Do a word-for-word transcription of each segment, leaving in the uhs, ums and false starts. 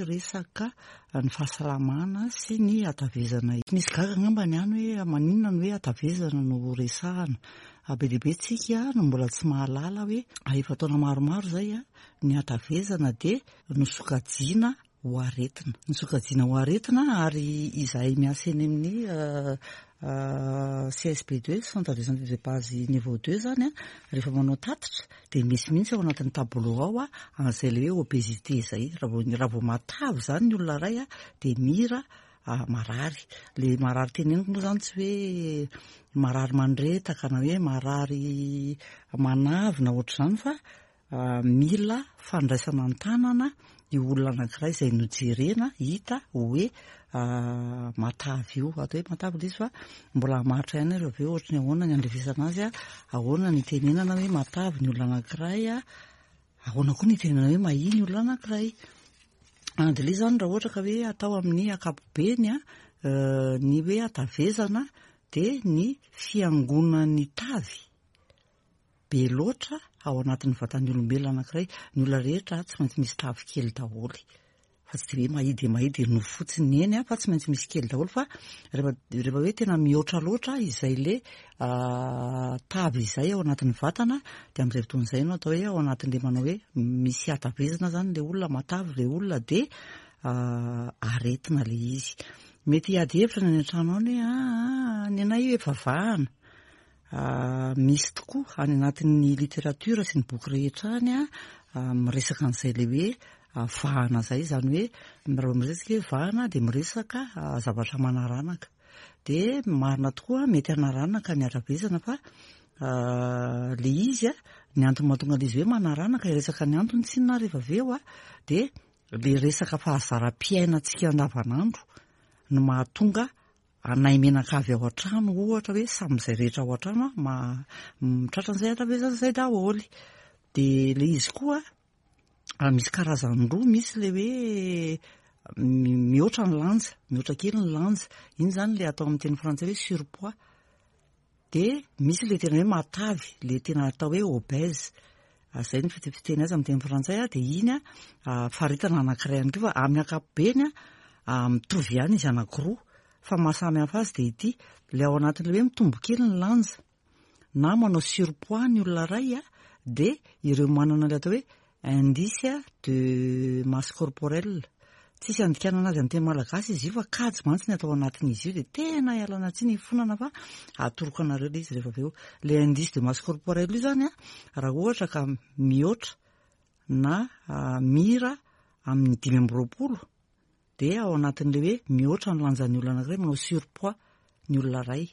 Resaka ny fahasalamana sy ny hatavezana. Misy gaga angamba ny any hoe maninona no hoe hatavezana no resahana. Be dia be tsika no mbola tsy mahalala hoe efa taona maromaro izay ny hatavezana dia nosokajiana ho aretina. Nosokajiana ho aretina ary izahay miasa eny amin'ny C S B deux, Centre de santé de base niveau deux zany a, rehefa manao tatitra dia misy mihitsy ao anatin'ny tableau ao a an'izay le hoe obésité zay. Raha vao raha vao matavy zany ny olona iray a, dia mira marary. Le marary teneniko moa zany tsy hoe marary mandretaka na hoe marary manavy na ohatr'izany, fa mila fandraisana an-tanana io olona anankiray izay nojerena hita hoe matavy io. Atao hoe matavy ilay izy, fa mbola hamaritra ihany rehefa avy eo ohatry ny ahoana ny andrefesana azy a, ahoana ny itenenana hoe matavy ny olona anankiray a, ahoana koa ny itenenana hoe mahia ny olona anankiray. Dia ilay izy zany, raha ohatra ka hoe atao amin'ny ankapobeny a, ny hoe hatavezana dia ny fiangonan'ny tavy be loatra ao anatin'ny vatan'ny olombelona anankiray. Ny olona rehetra tsy maintsy misy tavy kely daholo, fa tsy de hoe mahia dia mahia dia nofo fotsiny eny a, fa tsy maintsy misy kely daholo. Fa rehefa rehefa hoe tena mihoatra loatra izay le tavy izay ao anatin'ny vatana, dia amin'izay fotoana izay no atao hoe ao anatin'le manao hoe misy hatavezana zany le olona, matavy le olona, dia aretina le izy. Mety hiady hevitra ny any an-trano any hoe aa ny anay io efa vahana. Misy tokoa any anatin'ny littérature sy ny boky rehetra any a miresaka an'izay le hoe vahana zay. Zany hoe raha miresaka hoe vahana dia miresaka zavatra manaranaka, dia marina tokoa, mety hanaranaka ny hatavezana. Fa le izy a, ny antony mahatonga le izy hoe manaranaka, iresaka ny antony tsinona rehefa avy eo a, dia le resaka fahazaram-piainantsika andavanandro no mahatonga anay menakavy ao an-trano, ohatra hoe samy izay rehetra ao an-trano a ma mitratra an'izay hatavezana izay daholo. De le izy koa misy karazany roa: misy le hoe mihoatra ny lanja, mihoatra kely ny lanja, iny zany le atao amin'ny teny frantsay hoe surpoids, de misy le tena hoe matavy, le tena atao hoe obèse, zay ny fiteny azy amin'ny teny frantsay a. De iny a faritana anankiray ihany koa, fa amin'ny ankapobeny a mitovy ihany izy anankiroa. Fa mahasamy hafa azy de ity le ao anatin'le hoe mitombo kely ny lanja na manao surpoids ny olona ray a, de ireo manana le atao hoe indice de masse corporelle. Tsisy andikanana azy amin'ny teny malagasy izy io, fa kajy mantsy ny atao anatin'izy io, de tena ialana tsiny ifonana fa atoroko anareo le izy rehefa avy eo. Le indice de masse corporelle io zany a, raha ohatra ka mihoatra na mira amin'ny dimy amby roapolo, de ao anatin'le hoe mihoatra ny lanjan'ny olona anankiray, manao surpoids ny olona ray.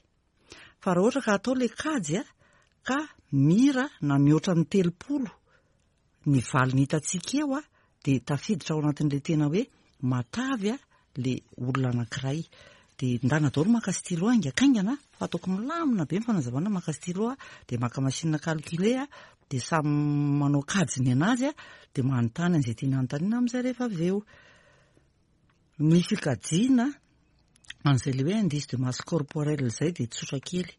Fa raha ohatra ka atao le kajy a, ka mira na mihoatra ny telopolo ny valiny hitantsika eo a, de tafiditra ao anatin'le tena hoe matavy a le olona anankiray. De ndana daholo maka stylo haingakaingana, fa ataoko milamina be ny fanazavana. Maka stylo a, de maka machine calculer a, de samy manao kajy ny anazy a, de manontany an'izay tiana anontaniana amin'izay rehefa avy eo. Ny fikajiana an'izay le hoe indice de masse corporelle zay de tsotra kely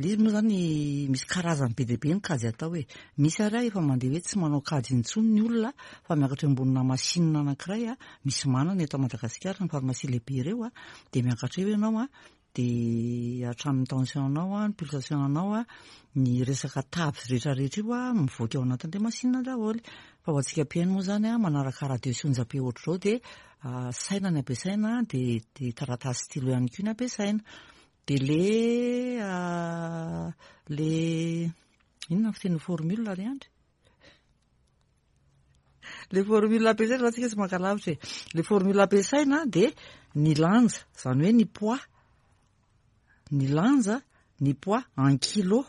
le izy moa zany. Misy karazany be dia be ny kajy atao e. Misy ary a efa mandeha hoe tsy manao kajy intsony ny olona fa miakatra eo ambonina machine anankiray a, misy manana eto Madagasikara, ny pharmacie lehibe ireo a, de miakatra eo ianao a, de hatramin'ny tension anao a, ny pulsation anao a, ny resaka tavy rehetrarehetra io a mivoaka ao anatin'le machine daholo. Fa ho antsika mpihaino moa zany a, manaraka radio sy onjam-peo ohatr'izao, de saina ny ampiasaina, de de taratasy stylo ihany koa ny ampiasaina. De le le inona ny fiteny, formule ry andry, le formule ampiasaina raha tsika tsy maka lavitra e, le formule ampiasaina de ny lanja, zany hoe ny poids, ny lanja, ny poids en kilo.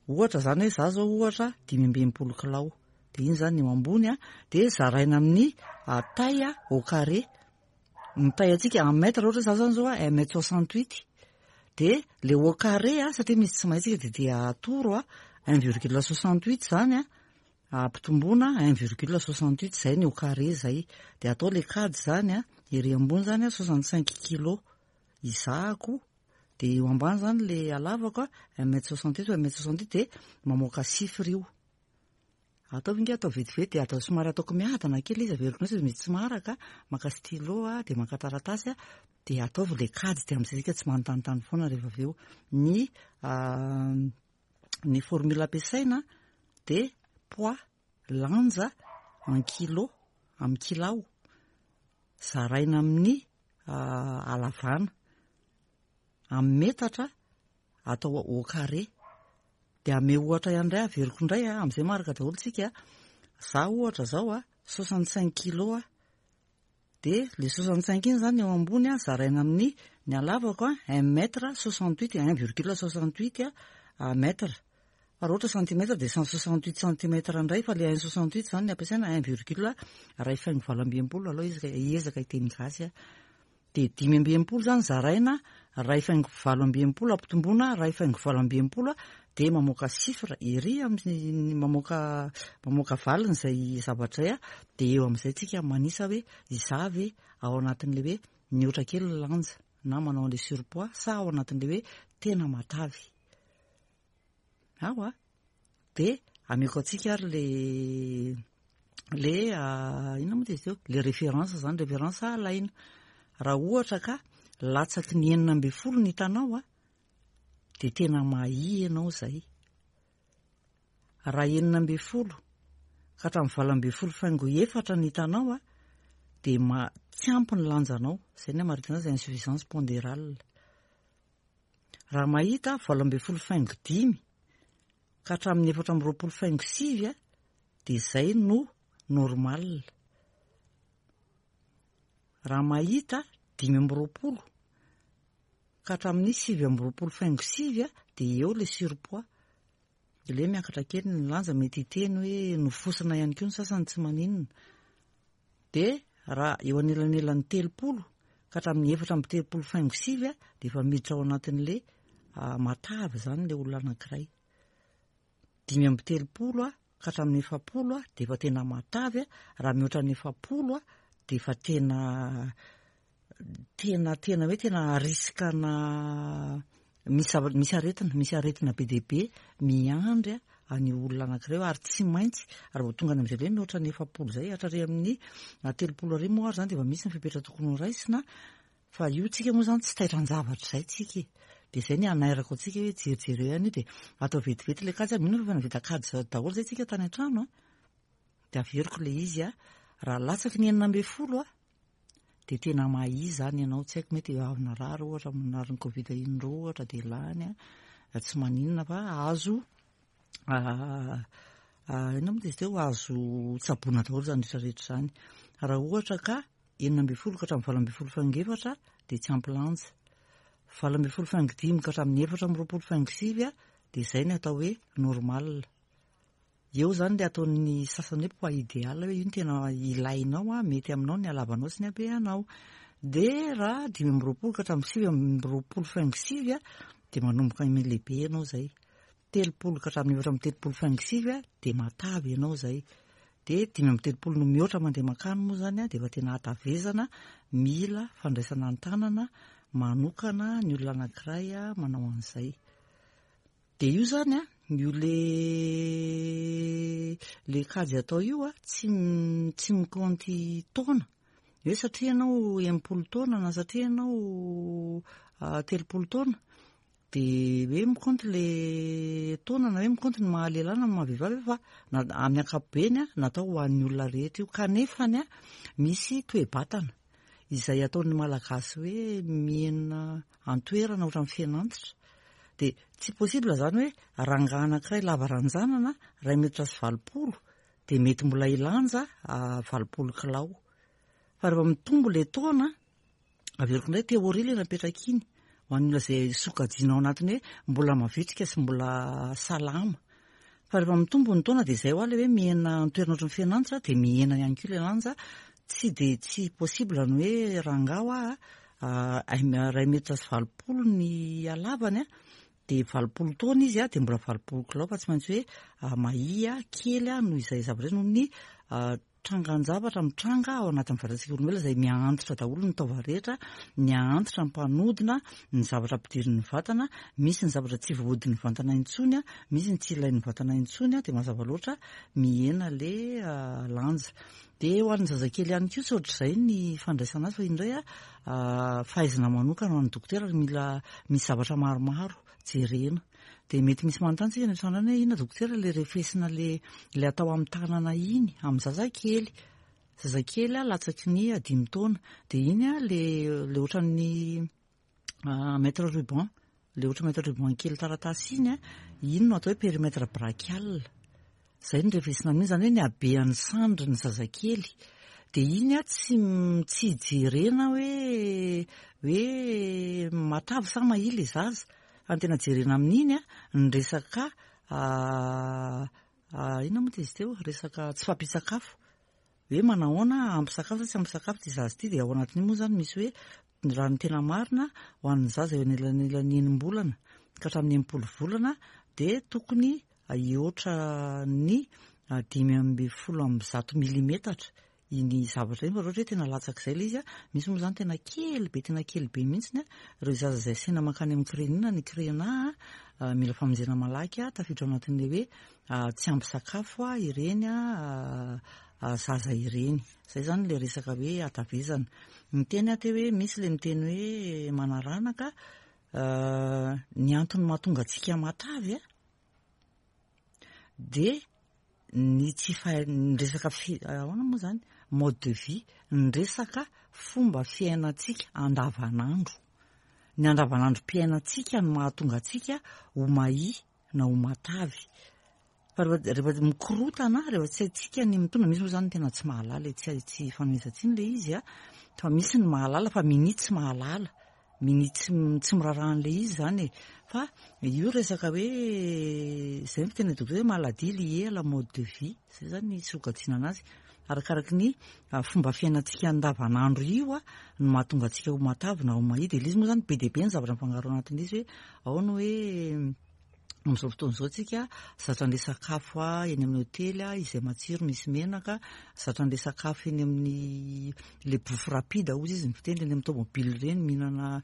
Ohatra zany hoe za zao ohatra dimy amby enimpolo kilao, de iny zany eo ambony a, de zaraina amin'ny taille au carré ny taille atsika en mètre. Ohatra za zany zao a un mètre soixante huit, de le au carré a, satria misy tsy mahay tsika, de de atoro a un virgule soixante huit zany a, ampitomboana un virgule soixante huit zay ny au carré zay, de atao le kajy zany a. Ery ambony zany a soixante cinq kilo izahako, de eo ambany zany le alavako a un mètre soixante huit, un mètre soixante huit, de mamoaka chiffre io. Ataovy nge, atao vetivety, de atao somary ataoko miadana kely izy, averiko indray, mety tsy maharaka. Maka stylo a, de maka taratasy a, de ataovy le kajy, de am'izay tsika tsy manontanytany foana rehefa avy eo. Ny ny formule ampiasaina de poids, lanja en kilo, amy kilao, zaraina amin'ny halavana amy metatra, atao au carré. De ame ohatra ihany indray, averiko indray a, am'izay maharaka daholo tsika. Za ohatra zao a, soixante cinq kilo a, de le soixante cinq iny zany eo ambony a, zaraina amin'ny ny halavako a, un mètre soixante huit, un virgule soixante huit a mètre. Fa raha ohatra centimètre de cent soixante huit centimètre indray, fa le un soixante huit zany ny ampiasaina, un virgule ray faingo valo amby enimpolo aloha izy, hiezaka hiteny gasy a. De dimy amby enimpolo zany zaraina ray faingo valo amby enimpolo, ampitombona ray faingo valo amby enimpolo a, de mamoaka chiffre ery amin'ny mamoaka mamoaka valiny zay zavatra zay a. De eo am'izay tsika manisa hoe izavy ao anatin'le hoe mihoatra kely ny lanja na manao an'le surpoids, sa ao anatin'le hoe tena matavy ao a. De ameko atsika ary le le inona moa de izy teo, le référence zany, référence alaina. Raha ohatra ka latsaky ny enina amby folo ny hitanao a, de tena mahia ianao zay. Raha enina amby folo ka hatramin'ny valo amby folo faingo efatra ny hitanao a, de ma tsy ampy ny lanjanao zay, ny amaritana zay insuffisance pondérale. Raha mahita valo amby folo faingo dimy ka hatramin'ny efatra amby roapolo faingo sivy a, de zay no normal. Raha mahita dimy amby roapolo ka hatramin'ny sivy amby roapolo faingo sivy a, de eo le surpoids, de le miakatra kely ny lanja, mety hiteny hoe nofosina ihany koa ny sasany, tsy maninona. De raha eo anelanelan'ny telopolo ka hatramin'ny efatra amby telopolo faingo sivy a, de efa miditra ao anatin'le matavy zany le olona anankiray. Dimy amby telopolo a ka hatramin'ny efapolo a, de efa tena matavy a. Raha mihoatra ny efapolo a, de efa tena tena tena hoe tena risque-na misy zava- misy aretina misy aretina be dehibe miandry a any olona anankiray io. Ary tsy maintsy raha vao tonga any am'izay le mihoatra ny efapolo zay hatrary amin'ny telopolo ary moa ary zany, de efa misy ny fepetra tokony ho raisina. Fa io tsika moa zany tsy taitran-javatra zay tsika e, de zay ny anairako antsika hoe jerijereo ihany io, de atao vetivety le kajy. Mino fa efa navita kajy daholo zay tsika tany an-trano a. De averiko le izy a: raha latsaky ny enina amby folo a, de tena mahia zany ianao. Tsy haiko, mety avy narary ohatra, narary ny Covid indroa ohatra, de lany a, tsy maninona fa azo inona moa de izy teo, azo tsaboina daholo zany rehetrarehetra zany. Raha ohatra ka enina amby folo ka hatramin'ny valo amby folo faingo efatra, de tsy ampy lanja. Valo amby folo faingo dimy ka hatramin'ny efatra amby roapolo faingo sivy a, de zay ny atao hoe normal. Eo zany le ataon'ny sasany hoe poids idéal, hoe io no tena ilainao a, mety aminao ny halavanao sy ny habeanao. De raha dimy amby roapolo ka hatramin'ny sivy amby roapolo faingo sivy a, de manomboka lehibe ianao zay. Telopolo ka hatramin'ny efatra amby telopolo faingo sivy a, de matavy ianao zay. De dimy amby telopolo no mihoatra mandeha makany moa zany a, de efa tena hatavezana, mila fandraisana an-tanana manokana ny olona anankiray a manao an'izay. De io zany a, io le le kajy atao io a, tsy tsy mikaonty taona hoe satria ianao enimpolo taona na satria ianao telopolo taona, de hoe mikaonty le taona na hoe mikaonty ny mahalehilahy na ny mahavehivavy, fa na amin'ny ankapobeny a, natao ho an'ny olona rehetra io. Kanefany a, misy toe-batana izay ataon'ny Malagasy hoe mihena antoerana ohatran'ny fihenantitra, de tsy possible zany hoe rangahy anankiray lava ranjanana ray metatra sy valopolo, de mety mbola hilanja valopolo kilao. Fa rehefa mitombo le taona, averiko indray, théorie le napetraka iny ho an'ny olona zay sokajiana ao anatiny hoe mbola mavitrika sy mbola salama. Fa rehefa mitombo ny taona, de zay ho a le hoe mihena antoerana ohatran'ny fihenantitra, de mihena ihany koa le lanja. Tsy de tsy possible ny hoe rangahy a ray metatra sy valopolo ny halavany a, de valopolo taona izy a, de mbola valopolo kilao, fa tsy maintsy hoe mahia kely a noho izay zavatra zay, noho ny Trangan-javatra mitranga ao anatin'ny vatantsika olombelona izay miha-antitra daholo ny taova rehetra, miha-antitra ny mpanodina, ny zavatra ampidirin'ny vatana, misy ny zavatra tsy voahodin'ny vatana intsony, misy ny tsy ilain'ny vatana intsony, dia mazava loatra mihena le lanja. Dia ho an'ny zazakely ihany koa tsy ohatr'izay ny fandraisana azy fa indray fahaizana manokana ho an'ny dokotera mila misy zavatra maromaro jerena. Dia mety misy manontany tsika any an-trano any hoe inona dokotera le refesina le le atao amin'ny tanana iny amin'ny zazakely. Zazakely a latsaky ny dimy taona. Dia iny a le le ohatran'ny mètre ruban, le ohatra mètre ruban kely taratasy iny a, iny no atao hoe périmètre brachial. Zay no refesina amin'iny, zany hoe ny habean'ny sandrin'ny zazakely. Dia iny a tsy tsy jerena hoe hoe matavy sa mahia le zaza. Fa ny tena jerena amin'iny a ny resaka inona moa izy teo, resaka tsy fahampian-tsakafo. Hoe manahoana ampy sakafo sa tsy ampy sakafo ity zaza ity, dia ao anatin'io moa zany misy hoe raha ny tena marina ho an'ny zaza eo anelanelan'ny enim-bolana ka hatramin'ny enimpolo volana dia tokony hihoatra ny dimy amby folo amby zato milimetatra iny zavatra iny, fa raha ohatra hoe tena latsak'izay ilay izy a, misy moa zany tena kely be, tena kely be mihitsiny a, ireo zaza izay asaina mankany amin'ny C R E N I na ny C R E N A a, mila famonjena malaky a, tafiditra ao anatin'ilay hoe tsy ampy sakafo a ireny a zaza ireny. Zay zany le resaka hoe hatavezana. Miteny aho teo hoe misy le miteny hoe manaranaka, ny antony mahatonga antsika matavy a dia ny tsy fahay ny resaka fi ahoana moa zany, mode de vie, ny resaka fomba fiainantsika andavanandro. Ny andavanandrom-piainantsika no mahatonga antsika ho mahia na ho matavy. Fa rehefa rehefa mikorotana, rehefa tsy haintsika ny mitondra, misy moa zany tena tsy mahalala e, tsy tsy fanomezan-tsiny le izy a, fa misy ny mahalala fa minia tsy mahalala, minia tsy tsy miraharaha an'le izy zany e. Fa io resaka hoe zay ny fiteny dokotera hoe maladie liée à la mode de vie, zay zany ny sokajiana anazy. Arakaraky ny fomba fiainantsika andavanandro io a no mahatonga antsika ho matavy na ho mahia. Dia ilay izy moa zany be dia be ny zavatra mifangaro ao anatin'izy hoe ao ny hoe amin'izao fotoana izao tsika zatra an'ilay sakafo a eny amin'ny hôtely a izay matsiro misy menaka, zatra an'ilay sakafo eny amin'ny le bouffe rapide hozy izy ny fiteny, eny amin'ny tomobile ireny mihinana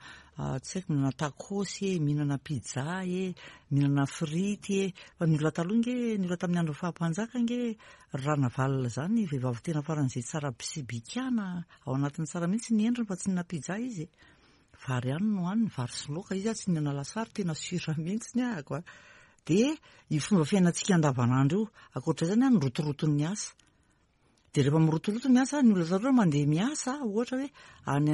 tsy haiko, mihinana tacos e, mihinana pizza e, mihinana frity e. Fa ny olona taloha nge, ny olona tamin'ny andron'ny faha-mpanjaka nge, Ranavalona zany vehivavy tena faran'izay tsara sy bikana ao anatin'ny tsara mihitsy ny endriny fa tsy nihinana pizza izy e. Vary ihany no hohaniny, vary sy laoka izy a, tsy nihinana lasary, tena sûr mihitsy ny ahako a. Dia io fomba fiainantsika andavanandro io, ankoatra izay zany a ny rotoroton'ny asa. Dia rehefa mirotoroto ny asa, ny olona taloha mandeha miasa, ohatra hoe any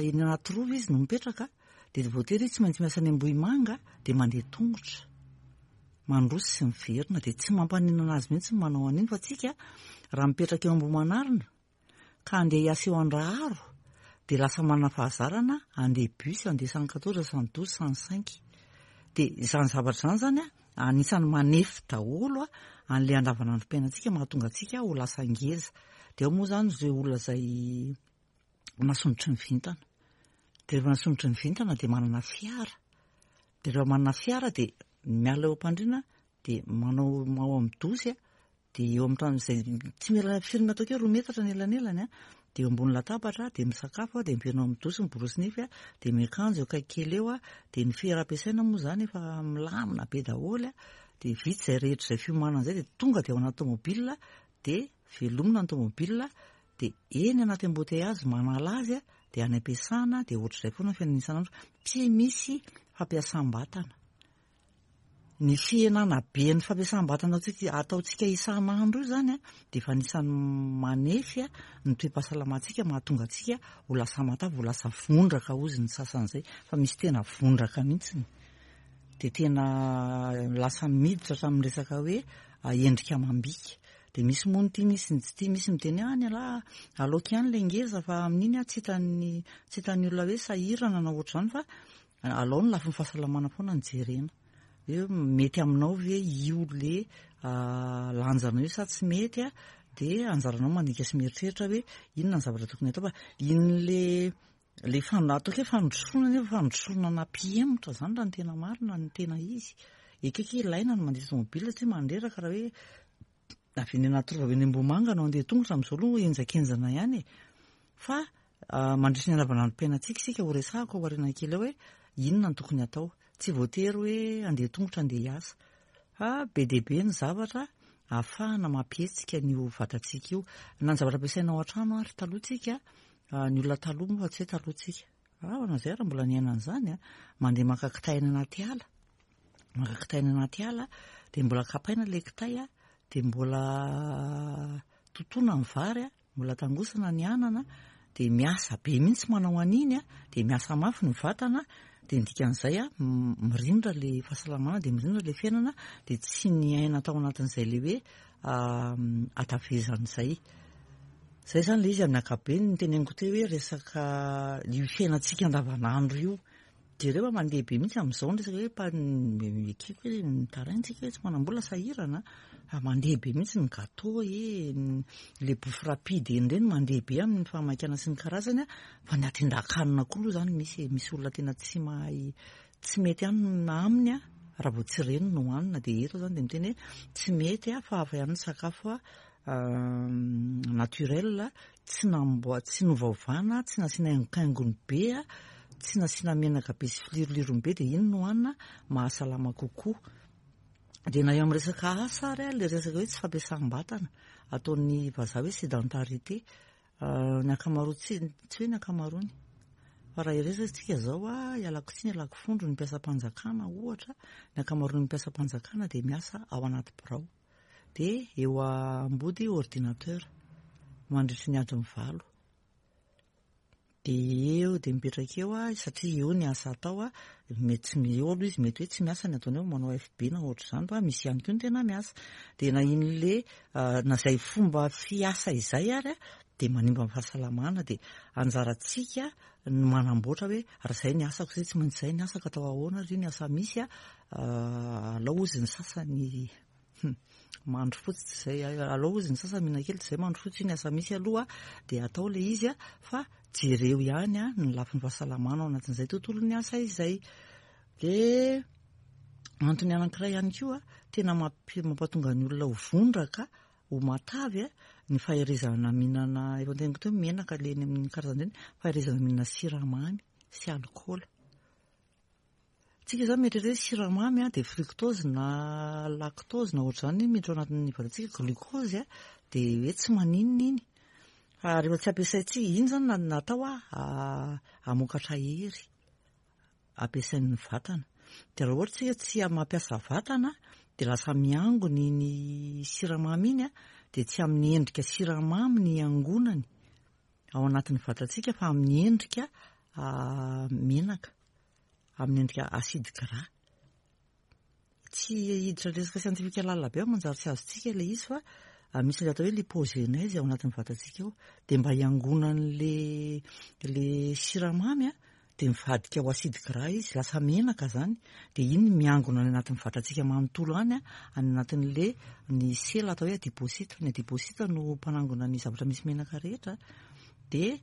eny anaty rova izy no mipetraka, dia voatery izy tsy maintsy miasa any Ambohimanga, dia mandeha tongotra. Mandroso sy miverina, dia tsy mampaninona azy mihitsy ny manao an'iny, fa tsika raha mipetraka eo Ambohimanarina ka andeha hiasa eo Andraharo, dia lasa manana fahazarana andeha bus, andeha cent quatorze, cent douze, cent cinq. Dia izany zavatra izany zany a anisan'ny manefy daholo a an'ilay andavanandrom-piainantsika mahatonga antsika ho lasa ngeza. Dia ao moa zany ireo olona izay nasondrotry ny vintana. Dia rehefa nasondrotry ny vintana dia manana fiara. Dia rehefa manana fiara dia miala eo am-pandriana dia manao ao amin'ny dosy a, dia eo amin'ny trano izay tsy mila firy ataoko hoe roa metatra ny elanelany a, dia eo ambony latabatra dia misakafo a, dia miverina ao amin'ny dosy miborosy nify a, dia miakanjo eo akaiky kely eo a, dia ny fiara ampiasaina moa zany efa milamina be daholo a, dia vita izay rehetra izay fiomanana izay dia tonga dia ao anaty tomobile, dia velomina ny tomobile, dia eny anaty embouteillage manala azy a, dia any am-piasana, dia ohatr'izay foana ny fiainana isan'andro, tsy misy fampiasam-batana. Ny fihenana be ny fampiasam-batana ataontsika ataontsika isan'andro io zany a dia efa anisan'ny manefy a ny toe-pahasalamantsika mahatonga antsika ho lasa matavy, ho lasa vondraka hozy ny sasan'izay, fa misy tena vondraka mihitsiny. Dia tena lasa miditra hatramin'ny resaka hoe endrika amam-bika. Dia misy moa ny tia, misy ny tsy tia, misy miteny hoe any alahy aleoko ihany ilay ngeza fa amin'iny aho tsy hitan'ny tsy hitan'ny olona hoe sahirana na ohatr'izany, fa alao ny lafiny fahasalamana foana no jerena. Hoe mety aminao ve io le lanjanao io sa tsy mety a, dia anjaranao mandinika sy mieritreritra hoe inona ny zavatra tokony atao, fa iny le le fan- ataoko hoe fandrosoana nefa fandrosoana nampihemotra zany raha ny tena marina ny tena izy. Ekeko ilaina ny mandeha tomobile satria mandreraka raha hoe Avy eny Anatirova, avy eny Ambohimanga no andeha tongotra amin'izao aloha, henjakenjana ihany e. Fa mandritry ny andavanandrom-piainantsika isika, ho resahako aoriana kely eo hoe inona no tokony atao. Tsy voatery hoe andeha tongotra andeha hiasa, fa be dia be ny zavatra ahafahana mampihetsika an'io vatantsika io. Na ny zavatra ampiasaina ao an-trano ary taloha tsika, ny olona taloha moa fa tsy hoe taloha tsika, raha izay raha mbola niaina an'izany, mandeha maka kitay any anaty ala, maka kitay any anaty ala, dia mbola kapaina ilay kitay, dia mbola totoina ny vary, mbola tangosana ny anana, dia miasa be mihitsy manao an'iny, dia miasa mafy ny vatana, dia ny dikan'izay mirindra ilay fahasalamana, dia mirindra ilay fiainana, dia tsy niaina tao anatin'izay ilay hoe hatavezan'izay. Izay izany ilay izy amin'ny ankapobeny ny teneniko teo hoe resaka io fiainantsika andavanandro io. Jereo fa mandeha be mihitsy amin'izao ny resaka hoe ekeko hoe mitaraina tsika hoe tsy manam-bola, sahirana, fa mandeha be mihitsy ny gâteau e, le bouffe rapide eny ireny mandeha be amin'ny fahamaikana sy ny karazany, fa ny atin-dakanina koa aloha izany misy misy olona tena tsy mahay, tsy mety hanina aminy raha vao tsy ireny no hohanina. Dia eto izany dia miteny hoe tsy mety fa hafa ihany ny sakafo naturel, tsy namboa, tsy novaovana, tsy nasiana haingokaingony be, tsy nasiana menaka be sy filirolirony be, dia iny no hohanina mahasalama kokoa. Dia na eo amin'ny resaka asa ary, ilay resaka hoe tsy fampiasam-batana ataon'ny vazaha hoe sédentarité, ny ankamaroany, tsy tsy hoe ny ankamaroany, fa raha hiresaka tsika izao, ialako tsiny ialako fondro, ny mpiasam-panjakana ohatra, ny ankamaroan'ny mpiasam-panjakana dia miasa ao anaty birao, dia eo ambody ordinateur mandritry ny adiny valo. Dia eo dia mipetraka eo satria eo ny asa atao, mety tsy eo aloha izy, mety hoe tsy miasa ny ataony eo, manao F B na ohatr'izany, fa misy ihany koa ny tena miasa. Dia na iny na izay fomba fiasa izay ary dia manimba ny fahasalamana, dia anjarantsika ny manamboatra hoe raha izay ny asako izay tsy maintsy izay ny asako, atao ahoana ry ny asa misy, alao ozy ny sasany mandro fotsy tsy izay, alao ozy ny sasany mihinan-kely tsy izay mandro fotsy, io ny asa misy aloha dia atao ilay izy, fa jereo ihany ny lafiny fahasalamana ao anatin'izay tontolon'ny asa izay. Dia antony anankiray ihany koa tena mampatonga ny olona ho vondraka, ho matavy, ny faherezana mihinana, efa noteneniko teo menaka le eny amin'ny karazany ireny, faherezana mihinana siramamy sy alikaola. Tsika izany mieritreritra hoe siramamy dia fructose na lactose na ohatr'izany miditra ao anatin'ny vatantsika, glucose, dia hoe tsy maninona iny. Fa rehefa tsy ampiasaintsika iny izany natao hamokatra hery ampiasain'ny vatana. Dia raha ohatra tsika tsy mampiasa vatana dia lasa miangona iny siramamy iny, dia tsy amin'ny endrika siramamy ny iangonany ao anatin'ny vatantsika fa amin'ny endrika menaka, amin'ny endrika acide gras. Tsy hiditra resaka siantifika lalina be manjary tsy azontsika ilay izy, fa misy ilay atao hoe lipogenèse ao anatin'ny vatantsika ao, dia mba hiangonan'le le siramamy dia mivadika ho acide gras izy, lasa menaka zany, dia iny miangona any anatin'ny vatantsika manontolo any, any anatin'le ny sela atao hoe adipocyte. Ny adipocyte no mpanangona ny zavatra misy menaka rehetra, dia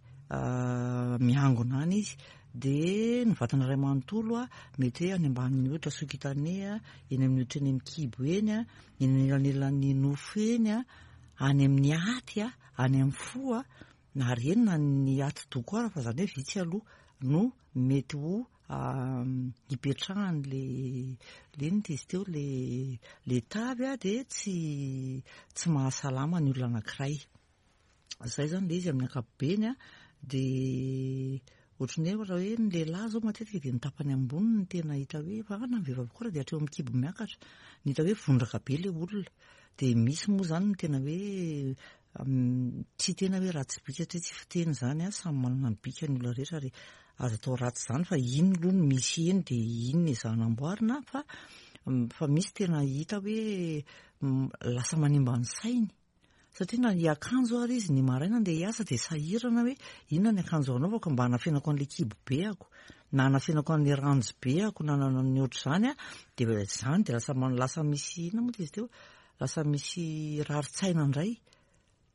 miangona any izy, dia ny vatana iray manontolo, mety hoe any ambanin'ny hoditra sous-cutané, eny amin'ny hoditra, eny amin'ny kibo eny, eny anelanelan'ny nofo eny, any amin'ny aty, any amin'ny fo, na ary eny na ny atidoha koa ara, fa zany hoe vitsy aloha no mety ho hipetrahany le le ino izy teo le le tavy, dia tsy tsy mahasalama ny olona anankiray. Zay zany le izy amin'ny ankapobeny. Dia ohatran'ny hoe raha hoe ny lehilahy zao matetika dia ny tapany ambony no tena hita hoe, fa na ny vehivavy koa raha dia hatreo amin'ny kibo miakatra ny hita hoe vondraka be le olona. Dia misy moa zany ny tena hoe tsy tena hoe ratsy bika, satria tsy fiteny zany, samy manana ny bika ny olona rehetra ary azo atao ratsy zany, fa iny aloha no misy eny dia iny no ezahana amboarina, fa fa misy tena hita hoe lasa manimba ny sainy, satria na hiakanjo ary izy ny maraina andeha hiasa dia sahirana hoe inona ny akanjo anaovako mba hanafenako an'le kibo beako, na hanafenako an'le ranjo beako, na ny ohatr'izany, dia zany dia lasa lasa misy inona moa izy teo, lasa misy rarin-tsaina indray,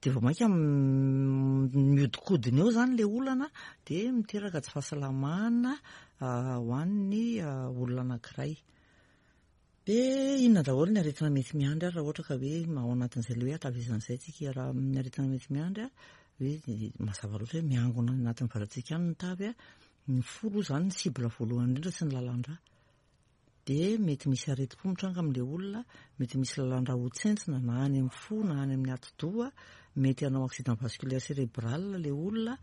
dia vao mainka miodikodina eo zany le olana, dia miteraka tsy fahasalamana ho an'ny olona anankiray. Dia inona daholo ny aretina mety miandry ary raha ohatra ka hoe ao anatin'izay le hoe hatavezana izay tsika? Raha ny aretina mety miandry a, hoe mazava loatra hoe miangona any anatin'ny vatantsika any ny tavy a, ny fo aloha izany ny cible voalohany indrindra sy ny lalan-drà. Dia mety misy aretim-po mitranga amin'ilay olona, mety misy lalan-drà ho tsentsina na any amin'ny fo na any amin'ny atidoha, mety hanao accident vasculaire cérébral ilay olona,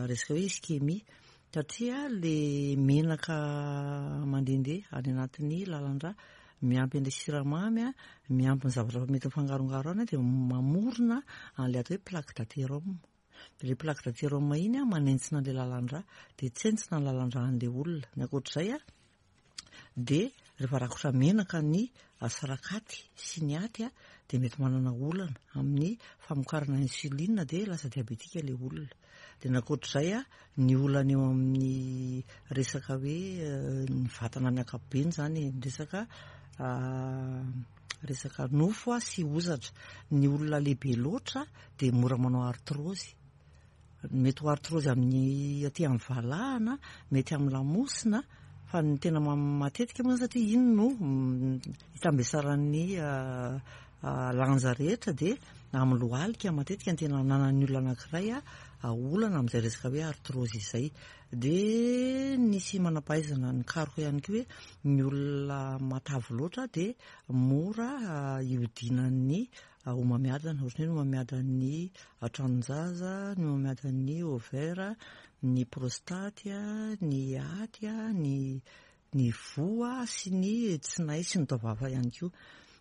resaka hoe ischémie, satria le menaka mandehandeha any anatin'ny lalan-drà miampy an'ilay siramamy a, miampy ny zavatra mety mifangarongaro any dia mamorona an'ilay atao hoe plaque d'athérome. Ilay plaque d'athérome iny a manentsina an'ilay lalan-drà, dia tsentsina ny lalan-drà an'ilay olona. Ny ankoatr'izay a, dia rehefa rakotra menaka ny sarakaty sy ny aty a, dia mety manana olana amin'ny famokarana insuline, dia lasa diabetika ilay olona. Dia ny ankoatr'izay a, ny olana eo amin'ny resaka hoe ny vatana amin'ny ankapobeny izany, ny resaka resaka nofo a sy hozatra. Ny olona lehibe loatra dia mora manao arthrose. Mety ho arthrose amin'ny aty amin'ny valahana, mety amin'ny lamosina, fa ny tena matetika moa satria iny no itambesaran'ny lanja rehetra, dia amin'ny lohalika matetika ny tena ananan'ny olona anankiray a olana amin'izay resaka hoe arthrose izay. Dia nisy manam-pahaizana nikaroka ihany koa hoe ny olona matavy loatra dia mora ihodinan'ny homamiadana, ohatran'ny hoe ny homamiadan'ny tranon-jaza, ny homamiadan'ny ovaire, ny prostate, ny aty, ny ny voa sy ny tsinay sy ny taovava ihany koa.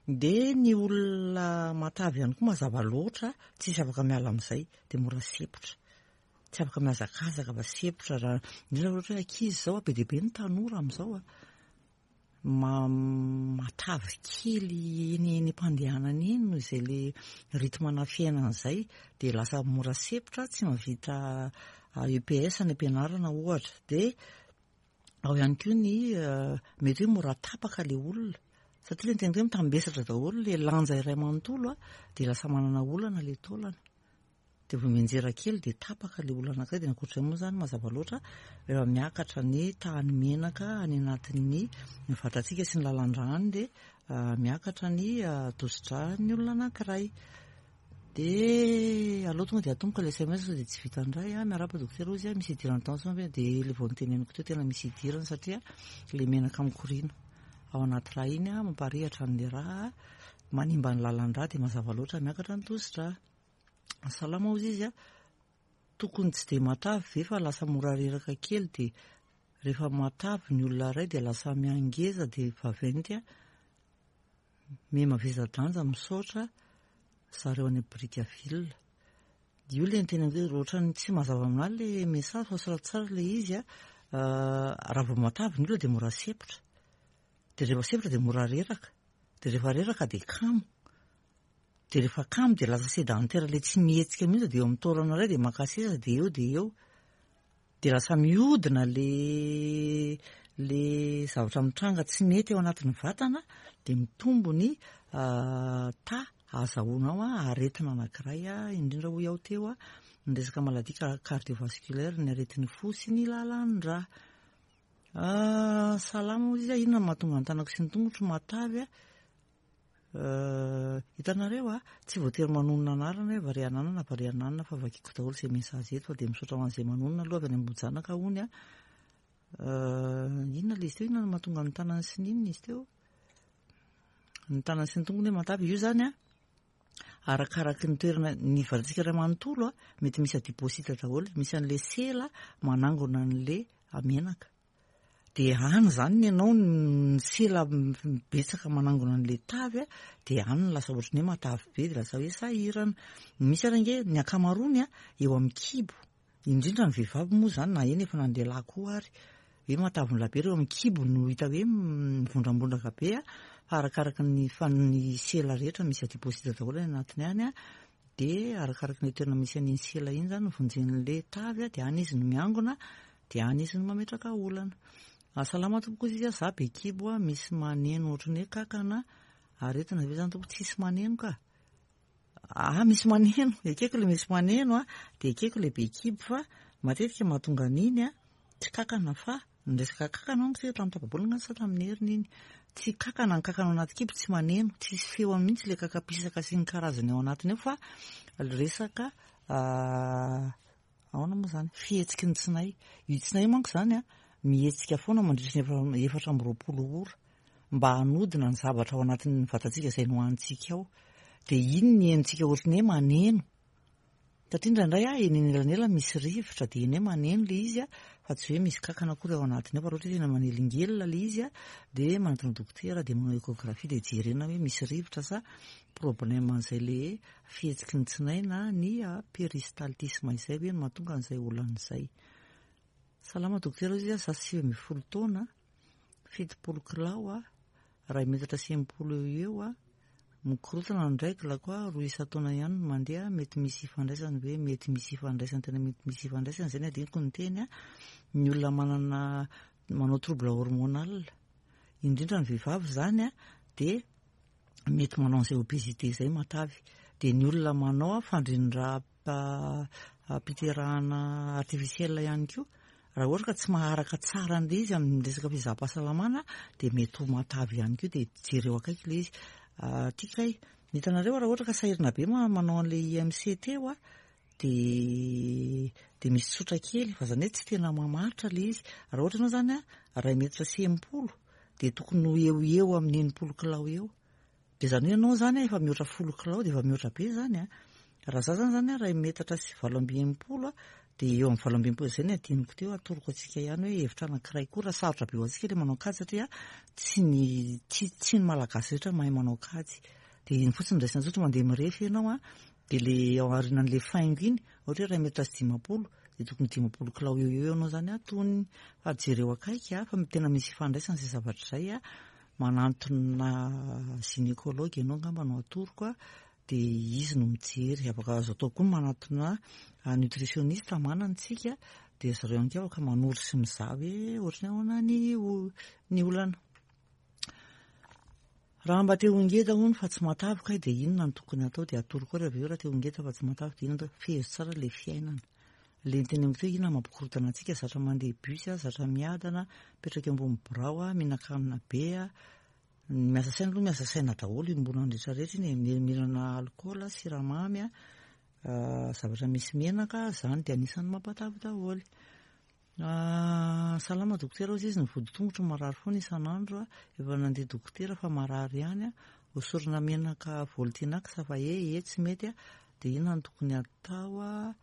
Dia ny olona matavy ihany koa mazava loatra, tsisy afaka miala amin'izay, dia mora sepotra. Tsy afaka mihazakazaka fa sepotra, raha indrindra ohatra hoe ankizy izao, be dia be ny tanora amin'izao a, matavy kely eny eny am-pandehanana eny noho izay le rythme na fiainana izay, dia lasa mora sepotra, tsy mahavita E P S any am-pianarana ohatra. Dia ao ihany koa ny mety hoe mora tapaka ilay olona, satria le tena hoe mitambesatra daholo le lanja iray manontolo a, dia lasa manana olana ilay taolana. Dia vao mianjera kely dia tapaka ilay olona anankiray. Dia ankoatr'izay moa izany, mazava loatra, rehefa miakatra ny tahan'ny menaka any anatin'ny vatantsika sy ny lalan-drà any, dia miakatra ny tosi-dràn'ny olona anankiray. Dia aleo tonga dia atomboka ilay S M S sao dia tsy vita indray a. Miarahaba dokotera ozy a, misy idiran'ny tension ve? Dia ilay vao noteneniko teo, tena misy idirany, satria ilay menaka mikoriana ao anaty rà iny a mamparihatra an'ilay rà, manimba ny lalan-drà, dia mazava loatra miakatra ny tosi-drà. Salama ozy izy a, tokony tsy dia matavy ve fa lasa mora reraka kely, dia rehefa matavy ny olona iray dia lasa miangeza dia vaventy a, miha-mavesa-danja? Misaotra zareo any Brickaville. Io le niteny hoe ohatrany tsy mazava aminahy le message, fa soraty tsara le izy a. Raha vao matavy ny olona dia mora sepotra, dia rehefa sepotra dia mora reraka, dia rehefa reraka dia kamo, dia rehefa kamo dia lasa sédentaire, le tsy mihetsika mihitsy, dia eo amin'ny taolana iray dia maka seza, dia eo dia eo dia lasa mihodina le le zavatra mitranga tsy mety eo anatin'ny vatana, dia mitombo ny ta ahazahoanao a aretina anankiray a, indrindra hoy aho teo a, ny resaka maladie cardiovasculaire, ny aretin'ny fo sy ny lalan-drà. Salama ozy izy a, inona no mahatonga ny tanako sy ny tongotro matavy a? Hitanareo a, tsy voatery manonona anarana hoe varianana na varianana, fa vakiko daholo izay message eto, fa dia misaotra ho an'izay manonona aloha. Avy any Ambohijanaka hony a, inona le izy teo? Inona no mahatonga ny tanany sy ny inona izy teo, ny tanany sy ny tongony hoe matavy io zany a? Arakaraky ny toerana ny vatantsika iray manontolo a, mety misy adipocyte daholo, misy an'le sela manangona an'le menaka, dia any zany ny ianao ny sela betsaka manangona an'le tavy a, dia any ny lasa ohatrany hoe matavy be, dia lasa hoe sahirana. Misy ary ange ny ankamaroany a eo amin'ny kibo, indrindra ny vehivavy moa zany, na eny efa na ny lehilahy koa ary, hoe matavy be reo amin'ny kibo no hita hoe mivondrambondraka be a, fa arakaraka ny fa ny sela rehetra misy adipocyte daholo any anatiny any a, dia arakaraka ny toerana misy an'iny sela iny zany no vonjen'le tavy a, dia any izy no miangona, dia any izy no mametraka olana. Salama tompoko izy a, za be kibo a, misy maneno ohatrany hoe kakana, aretina ve zany tompoko? Tsisy maneno ka. Ah, misy maneno, ekeko le misy maneno a, dia ekeko le be kibo, fa matetika mahatonga an'iny a tsy kakana fa Ny resaka kankana manko tsika tamin'ny tapa-bolana sa tamin'ny heriny iny. Tsy kankana ny kankana ao anaty kibo, tsy maneno, tsisy feo mihitsy ilay kaka-pisaka sy ny karazany ao anatiny ao, fa resaka ahoana moa izany, fihetsiky ny tsinay. Io tsinay io manko izany a, mihetsika foana mandritra ny efatra amby roapolo ora mba hanodina ny zavatra ao anatin'ny vatantsika izay nohanintsika ao. Dia iny ny henontsika ohatran'ny hoe maneno. Satria indraindray a, eny anelanelany misy rivotra dia eny hoe maneno ilay izy a, fa tsy hoe misy kankana akory ao anatiny ao, fa raha ohatra hoe tena manelingelina ilay izy a, dia manatona dokotera dia manao échographie dia jerena hoe misy rivotra sa problème an'izay le fihetsiky ny tsinay na ny péristaltisme izay hoe no mahatonga an'izay olana izay. Salama dokotera, hoy izy, za sivy ambin'ny folo taona, fitopolo kilao a, iray metatra sy enimpolo eo eo a, mikorotana ny règle-ko a, roa isan-taona ihany no mandeha, mety misy ifandraisany ve? Mety misy ifandraisany, tena mety misy ifandraisany, izay no adinoko ny teny a, ny olona manana manao trouble hormonal, indrindra ny vehivavy izany a, dia mety manao an'izay obésité izay matavy. Dia ny olona manao fandrindram-piterahana artificiel ihany koa, raha ohatra ka tsy maharaka tsara an'ilay izy amin'ny resaka fizaham-pahasalamana dia mety ho matavy ihany koa, dia jereo akaiky ilay izy. Ty kay, hitanareo raha ohatra ka sahirana be manao an'ilay I M C teo a, dia dia misy tsotra kely, fa izany hoe tsy tena mamaritra ilay izy. Raha ohatra ianao izany a, iray metatra sy enimpolo, dia tokony ho eo eo amin'ny enimpolo kilao eo. Dia izany hoe ianao izany a, efa mihoatra folo kilao dia efa mihoatra be izany a. Raha za zany zany a, iray metatra sy valo amby enimpolo a, dia eo amin'ny valo amby enimpolo izay ny adinoko teo, atoroko antsika ihany hoe hevitra anankiray koa raha sarotra be ho antsika ilay manao kajy, satria tsy ny, tsy, tsy ny malagasy rehetra mahay manao kajy. Dia iny fotsiny raisina tsotra, mandeha mirefy ianao a, dia le ao aorianan'ilay faingo iny, ohatra hoe iray metatra sy dimampolo, dia tokony dimampolo kilao eo eo ianao zany atonony. Fa jereo akaiky a, fa tena misy ifandraisana izay zavatra izay a, manantona gynécologue ianao angamba no atoroko a, dia izy no mijery. Afaka azo atao koa manatona nutritionniste manana isika, dia zareo ihany koa afaka manoro sy mizaha hoe ohatran'ny ahoana ny o-, ny olana. Raha mba te ho ngeda hono fa tsy matavy kay, dia inona no tokony atao? Dia atoro koa raha avy eo raha te ho ngeda fa tsy matavy dia inona atao? Fehezo tsara ilay fiainana. Ilay niteneniko teo, inona mampikorontana antsika? Zatra mandeha bus a, zatra miadana, mipetraka eo ambony birao a, mihinan-kanina be a. Ny miasa saina aloha, miasa saina daholo iombonana rehetrarehetra iny e, mihinana alikaola, siramamy a, zavatra misy menaka, izany dia anisan'ny mampatavy daholo. Salama dokotera, hoy izy, ny vodi-tongotro marary foana isan'andro a, efa nandeha dokotera fa marary ihany a, hosorana menaka Voltinax fa e, e tsy mety a, dia inona no tokony atao a?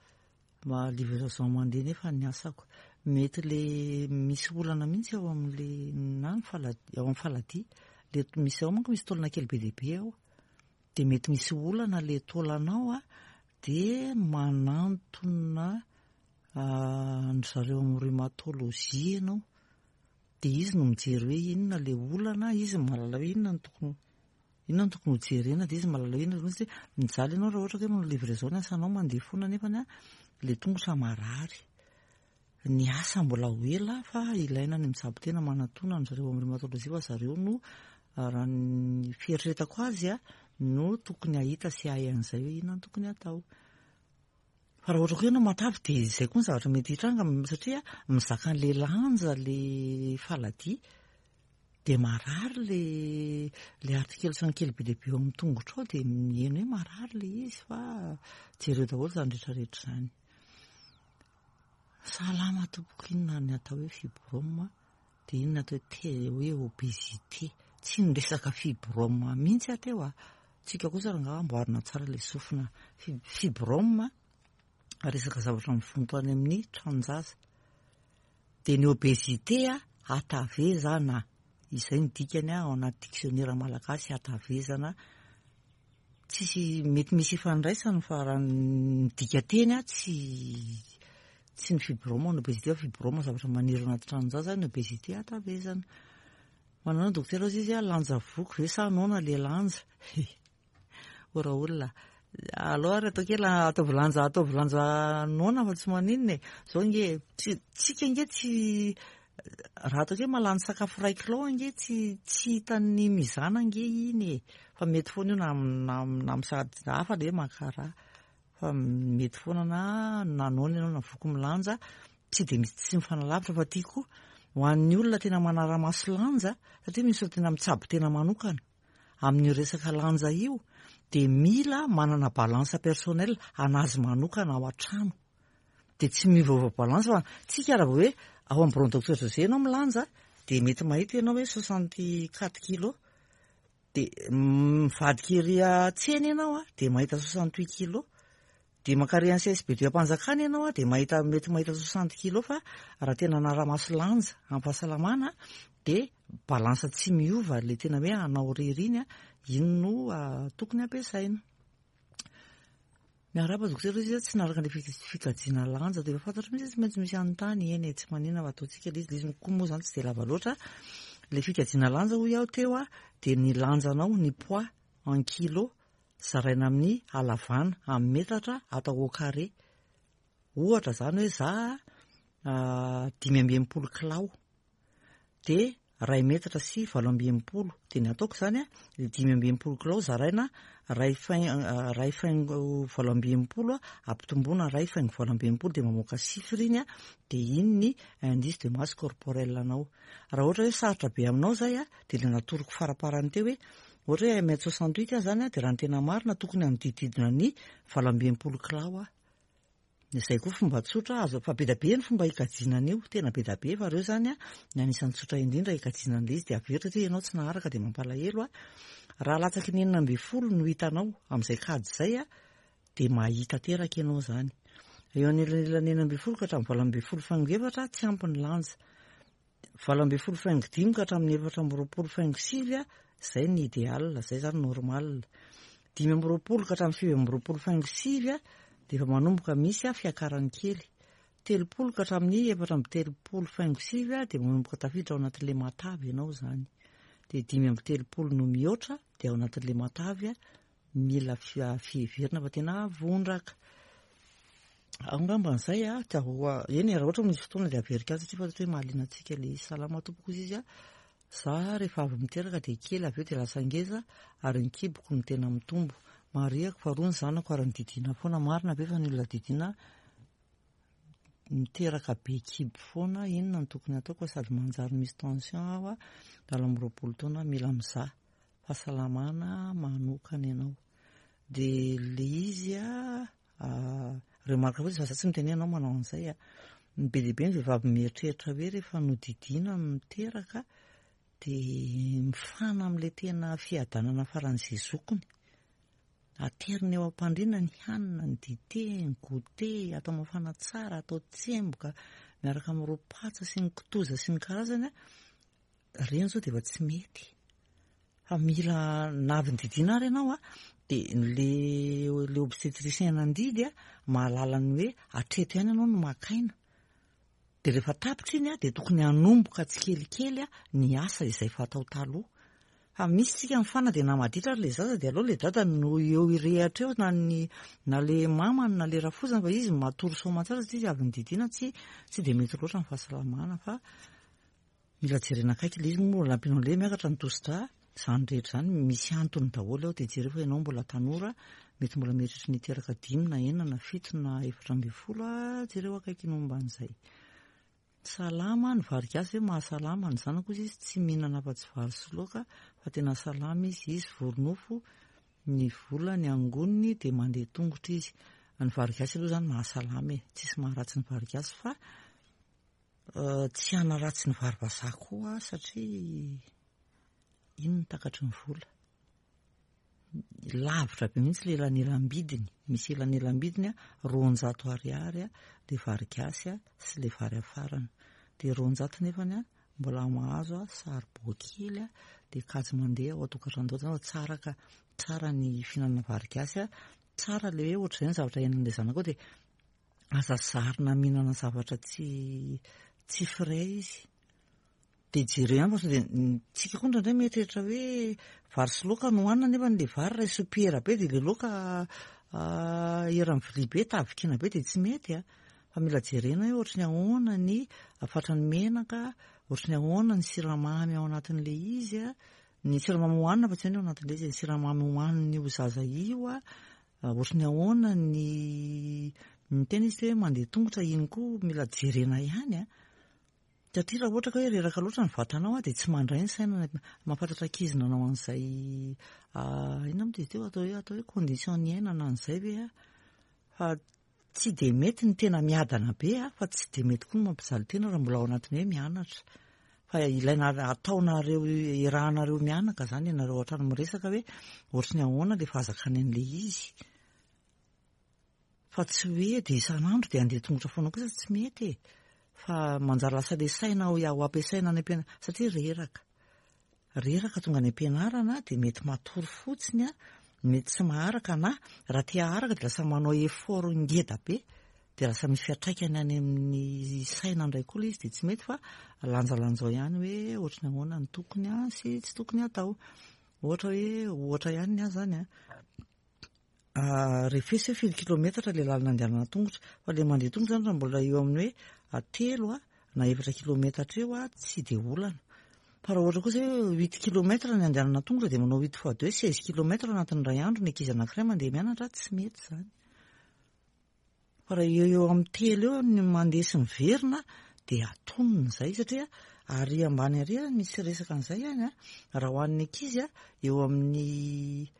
Mba livraison mandeha nefa ny asako. Mety le misy olana mihitsy ao amin'le na ny faladi-, ao amin'ny faladia. Le misy ao manko misy taolana kely be dia be ao. Dia mety misy olana le taolanao a, dia manantona an-dry zareo amin'ny rhumatologie ianao. Dia izy no mijery hoe inona le olana, izy mahalala hoe inona no tokony, inona no tokony hojerena, dia izy mahalala hoe inona no tokony, mijaly ianao raha ohatra ka hoe manao livraison ny asanao mandeha foana nefa ny a, le tongotra marary. Ny asa mbola ho ela fa ilaina ny mitsabo tena manatona an-dry zareo amin'ny rhumatologie, fa zareo no raha ny fieritreretako azy a, no tokony hahita sy hahay an'izay hoe inona no tokony hatao. Fa raha ohatra koa ianao matavy dia izay koa ny zavatra mety hitranga, satria mizaka an'ilay lanja le faladia, dia marary le, le articulation kely be dia be eo amin'ny tongotra ao, dia miheno hoe marary le izy, fa jereo daholo izany rehetrarehetra izany. Salama tompoko, inona ny atao hoe fibrome? Dia inona atao hoe te-, hoe obésité? Tsy niresaka fibrome mihitsy aho teo a. Tsika kosa rangaha amboarina tsara ilay sofina. Fi-, fibrome resaka zavatra mivonto any amin'ny tranon-jaza. Dia ny obésité a, hatavezana. Izay ny dikany a, ao anaty dictionnaire malagasy, hatavezana. Tsisy mety misy ifandraisany fa raha ny dikateny a, tsy, tsy ny fibrome ny obésité, fa fibrome zavatra maniry anaty tranon-jaza, ny obésité hatavezana. Manana dokotera hozy izy a, lanja voky ve sa noana le lanja? Ô raha olona, aleo ary atao kely, ataovy lanja, ataovy lanja noana fa tsy maninona e. Zao nge, tsy, tsika nge tsy, raha atao kely mahalany sakafo iray kilao nge, tsy, tsy hitan'ny mizana nge iny e. Fa mety foana io na, na, na misady hafa le maka raha. Fa mety foana na, na noana ianao na voky milanja, tsy dia misy, tsy mifanalavitra fa ty koa. Ho an'ny olona tena manara-maso lanja, satria misy olona tena mitsabo tena manokana amin'io resaka lanja io, dia mila manana balance personnelle anazy manokana ao an-trano. Dia tsy miovaova balance fa tsika raha vao hoe ao amin'ny bureau docteur José ianao milanja, dia mety mahita ianao hoe soixante quatre kilos. Dia mivadika ery an-tsena ianao a, dia mahita soixante huit kilos. Dia mankary amin'ny C S B deux am-panjakana ianao a, dia mahita, mety mahita soixante kilos, fa raha tena anara-maso lanja amin'ny fahasalamana dia balance tsy miova le tena hoe anao rery iny a, iny no tokony ampiasaina. Miarahaba dokotera izy tsy naraka le fikajiana lanja dia efa fantatro mihitsy tsy maintsy misy anontany eny e, tsy manina fa ataontsika le izy, le izy koa moa zany tsy dia lava loatra. Le fikajiana lanja hoy aho teo a, dia ny lanjanao, ny poids en kilo zaraina amin'ny halavana amin'ny metatra atao au carré. Ohatra zany hoe za dimy amby enimpolo kilao dia ray metatra sy valo amby enimpolo, dia ny ataoko zany a, le dimy amby enimpolo kilao zaraina ray fain-, ray faingo valo amby enimpolo ampitomboina ray faingo valo amby enimpolo dia mamoaka chiffre iny a, dia iny ny indice de masse corporelle anao. Raha ohatra hoe sarotra be aminao zay a, dia le natoroko faraparany teo hoe ohatra hoe un mètre soixante huit aho zany a, dia raha ny tena marina tokony hanodididina ny valo amby enimpolo kilao aho. Izay koa fomba tsotra azo, fa be dia be ny fomba hikajiana an'io, tena be dia be, fa ireo zany a ny anisan'ny tsotra indrindra hikajiana an'ilay izy. Dia averina satria ianao tsy naharaka dia mampalahelo a. Raha latsaky ny enina ambin'ny folo no hitanao amin'izay kajy izay a, dia mahita teraka ianao zany. Eo anelanelan'ny enina ambin'ny folo ka hatramin'ny valo ambin'ny folo faingo efatra tsy ampy ny lanja. Valo ambin'ny folo faingo dimy ka hatramin'ny efatra amby roapolo faingo sivy a, izay ny idéal, izay zany normal. Dimy amby roapolo ka hatramin'ny sivy amby roapolo faingo sivy a, dia efa manomboka misy a fiakarany kely. Telopolo ka hatramin'ny efatra amby telopolo faingo sivy a, dia manomboka tafiditra ao anatin'ilay matavy ianao zany. Dia dimy amby telopolo no mihoatra dia ao anatin'ilay matavy a, mila fiheverina fa tena vondraka. Angamba an'izay a, eny raha ohatra misy fotoana dia averiko azy satria fantatro hoe mahaliana antsika ilay izy. Salama tompoko izy a, za rehefa avy miteraka dia kely, avy eo dia lasa ngeza ary ny kiboko no tena mitombo. Marihako fa roa ny zanako ary ny foana. Marina ve fa ny olona didiana miteraka be kibo foana? Inona no tokony ataoko sady manjary misy tension aho a, valo amby roapolo taona, mila mizaha fahasalamana manokana ianao. Dia le izy a, remarque fotsiny fa za tsy miteny hoe ianao manao an'izay a. Be dia be ny vehivavy mieritreritra hoe rehefa nodidiana miteraka dia mifana amin'ilay tena fiadanana faran'izay zokony. Aterina eo am-pandriana ny hanina, ny dite, ny goûter, atao mafana tsara, atao tsemboka miaraka amin'ireo patsa sy ny kitoza sy ny karazany a. Ireny izao dia efa tsy mety. Fa mila na avy nididiana ary ianao a, dia le le obstétricien nandidy a mahalala ny hoe hatreto ihany ianao no maka aina. Dia rehefa tapitra iny a, dia tokony hanomboka tsikelikely a ny asa izay fatao taloha. Fa misy tsika mifana dia na maditra ary le zaza dia aleo le dada no eo irehatra eo, na ny na le mamany na le rafozany, fa izy matory soamantsara satria izy avy nididiana. Tsy tsy dia mety loatra ny fahasalamana fa mila jerena akaiky ilay izy. Moa nampianao an'ilay miakatra ny tosi-drà, izany rehetra izany misy antony daholo ao. Dia jereo fa ianao mbola tanora, mety mbola mieritreritra ny hiteraka dimy na enina na fito na efatra ambin'ny folo a, jereo akaiky ny momba an'izay. Salama ny vary gasy hoe mahasalama ny zanako izy, izy tsy mihinana afa-tsy vary sy laoka fa tena salama izy, izy vory nofo, ny vola ny angoniny dia mandeha tongotra izy. Ny vary gasy aloha zany mahasalama e, tsisy maharatsy ny vary gasy fa tsy hanaratsy ny vary vazaha koa satria iny no takatry ny vola. Lavitra be mihitsy le elanelam-bidiny, misy elanelam-bidiny a roanjato ariary a le vary gasy a sy le vary afarana. Dia roanjato nefany a mbola mahazo a saribao kely a, dia kajy mandeha ao an-tokantrano daholo. Tsara ka, tsara ny fihinanana vary gasy a, tsara le hoe ohatr'izay ny zavatra iainan'ilay zanakao, dia aza zarina mihinana zavatra tsy tsy frais izy. Dia jereo ihany fa sao dia tsika koa indraindray mieritreritra hoe vary sy laoka no hohanina, nefa le vary ray sopiera be dia le laoka eran'ny vilia be, tavikina be, dia tsy mety a. Fa mila jerena hoe ohatry ny ahoana ny fatran'ny menaka, ohatry ny ahoana ny siramamy ao anatin'ilay izy a, ny siramamy hohanina fa tsy hoe ny ao anatin'ilay izy, ny siramamy hohanin'io zaza io a, ohatry ny ahoana ny ny tena izy hoe mandeha tongotra iny koa mila jerena ihany a. Satria raha ohatra ka hoe reraka loatra ny vatanao a, dia tsy mandray ny saina. Mahafantatra ankizy nanao an'izay, inona moa izy teo, atao hoe atao hoe condition niainana an'izay ve a? Fa tsy dia mety ny tena miadana be a, fa tsy dia mety koa ny mampijaly tena raha mbola ao anatin'ny hoe mianatra. Fa ilaina ataonareo, iarahanareo mianaka zany ianareo ao an-trano miresaka hoe ohatry ny ahoana ilay fahazakany an'ilay izy. Fa tsy hoe dia isan'andro dia andeha tongotra foana kosa tsy mety e. Fa manjary lasa ilay saina ho ampiasaina any am-pianarana satria reraka. Reraka tonga any am-pianarana dia mety matory fotsiny a, mety tsy maharaka na raha te haharaka dia lasa manao effort ngeda be, dia lasa misy fiantraikany any amin'ny saina indray koa ilay izy dia tsy mety fa lanjalanjao ihany hoe ohatry ny ahoana ny tokony a sy tsy tokony atao. Ohatra hoe ohatra ihany ny ahy zany a, refesy hoe firy kilometatra ilay lalana andehanana tongotra, fa ilay mandeha tongotra zany raha mbola eo amin'ny hoe telo a na efatra kilometatra eo a tsy dia olana. Fa raha ohatra kosa hoe huit kilomètres ny andehanana tongotra dia manao huit fois deux seize kilomètres anatin'ny iray andro ny ankizy anankiray mandeha mianatra, tsy mety zany. Fa raha eo eo amin'ny telo eo ny mandeha sy miverina dia atonony izay, satria ary ambany ary misy resaka an'izay ihany a, raha ho an'ny ankizy a eo amin'ny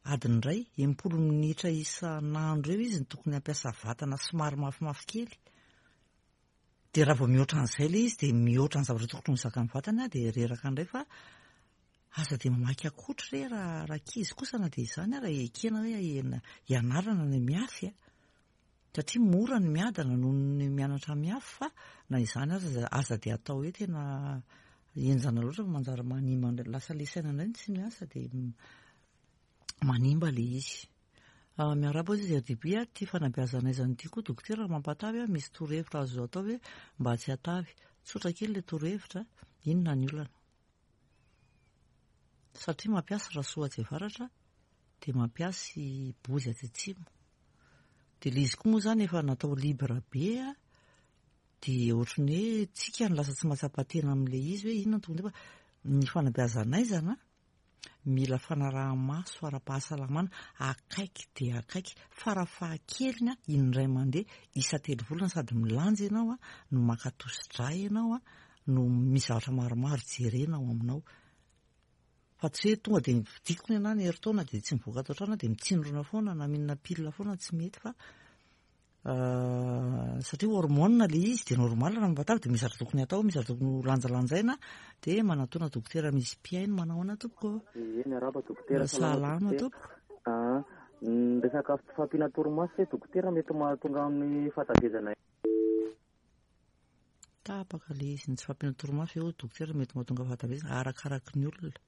adiny iray, enimpolo minitra isan'andro eo izy no tokony hampiasa vatana somary mafimafy kely. Dia raha vao mihoatra an'izay ilay izy dia mihoatra ny zavatra tokony ho zakan'ny vatana dia reraka indray, fa aza dia mamaky akotry re raha raha ankizy kosa na dia izany raha ekena hoe hianarana ny miafy a. Satria mora ny miadana noho ny mianatra miafy, fa na izany aza aza dia atao hoe tena henjana loatra fa manjary manimba indray, lasa ilay saina indray no tsy miasa dia manimba ilay izy. Miarahaba izy R D B a, ity fanabeazana aizana ity koa dokotera raha mampatavy a, misy torohevitra azo atao hoe mba tsy hatavy. Tsotra kely ilay torohevitra, inona ny olana? Satria mampiasa rasoa atsy avaratra dia mampiasa bozy atsy atsimo. Dia ilay izy koa moa zany efa natao libre be a, dia ohatran'ny hoe tsika no lasa tsy mahatsapa tena amin'ilay izy hoe inona no tokony atao, fa ny fanabeazana aizana mila fanaraha-maso ara-pahasalamana akaiky dia akaiky, farafahakeliny a indray mandeha isa-telo volana, sady milanja ianao a no maka tosi-drà ianao a no misy zavatra maromaro jerena ao aminao. Fa tsy hoe tonga dia vidiko ny anahy ny herintaona dia tsy mivoaka ato an-trano dia mitsindrona foana na mihinana pilina foana, tsy mety fa satria hormone ilay izy dia normal raha mampatavy dia misy zavatra tokony atao, misy zavatra tokony ho lanjalanjaina dia manatona dokotera misy mpihaino. Manao ahoana tompoko? Ie, miarahaba dokotera. Salama tompoko. Ah, ny resaka tsy fahampiana torimaso ve dokotera mety mahatonga amin'ny fahatavezana? Tapaka ilay izy, ny tsy fahampiana torimaso eo dokotera mety mahatonga fahatavezana arakaraky ny olona.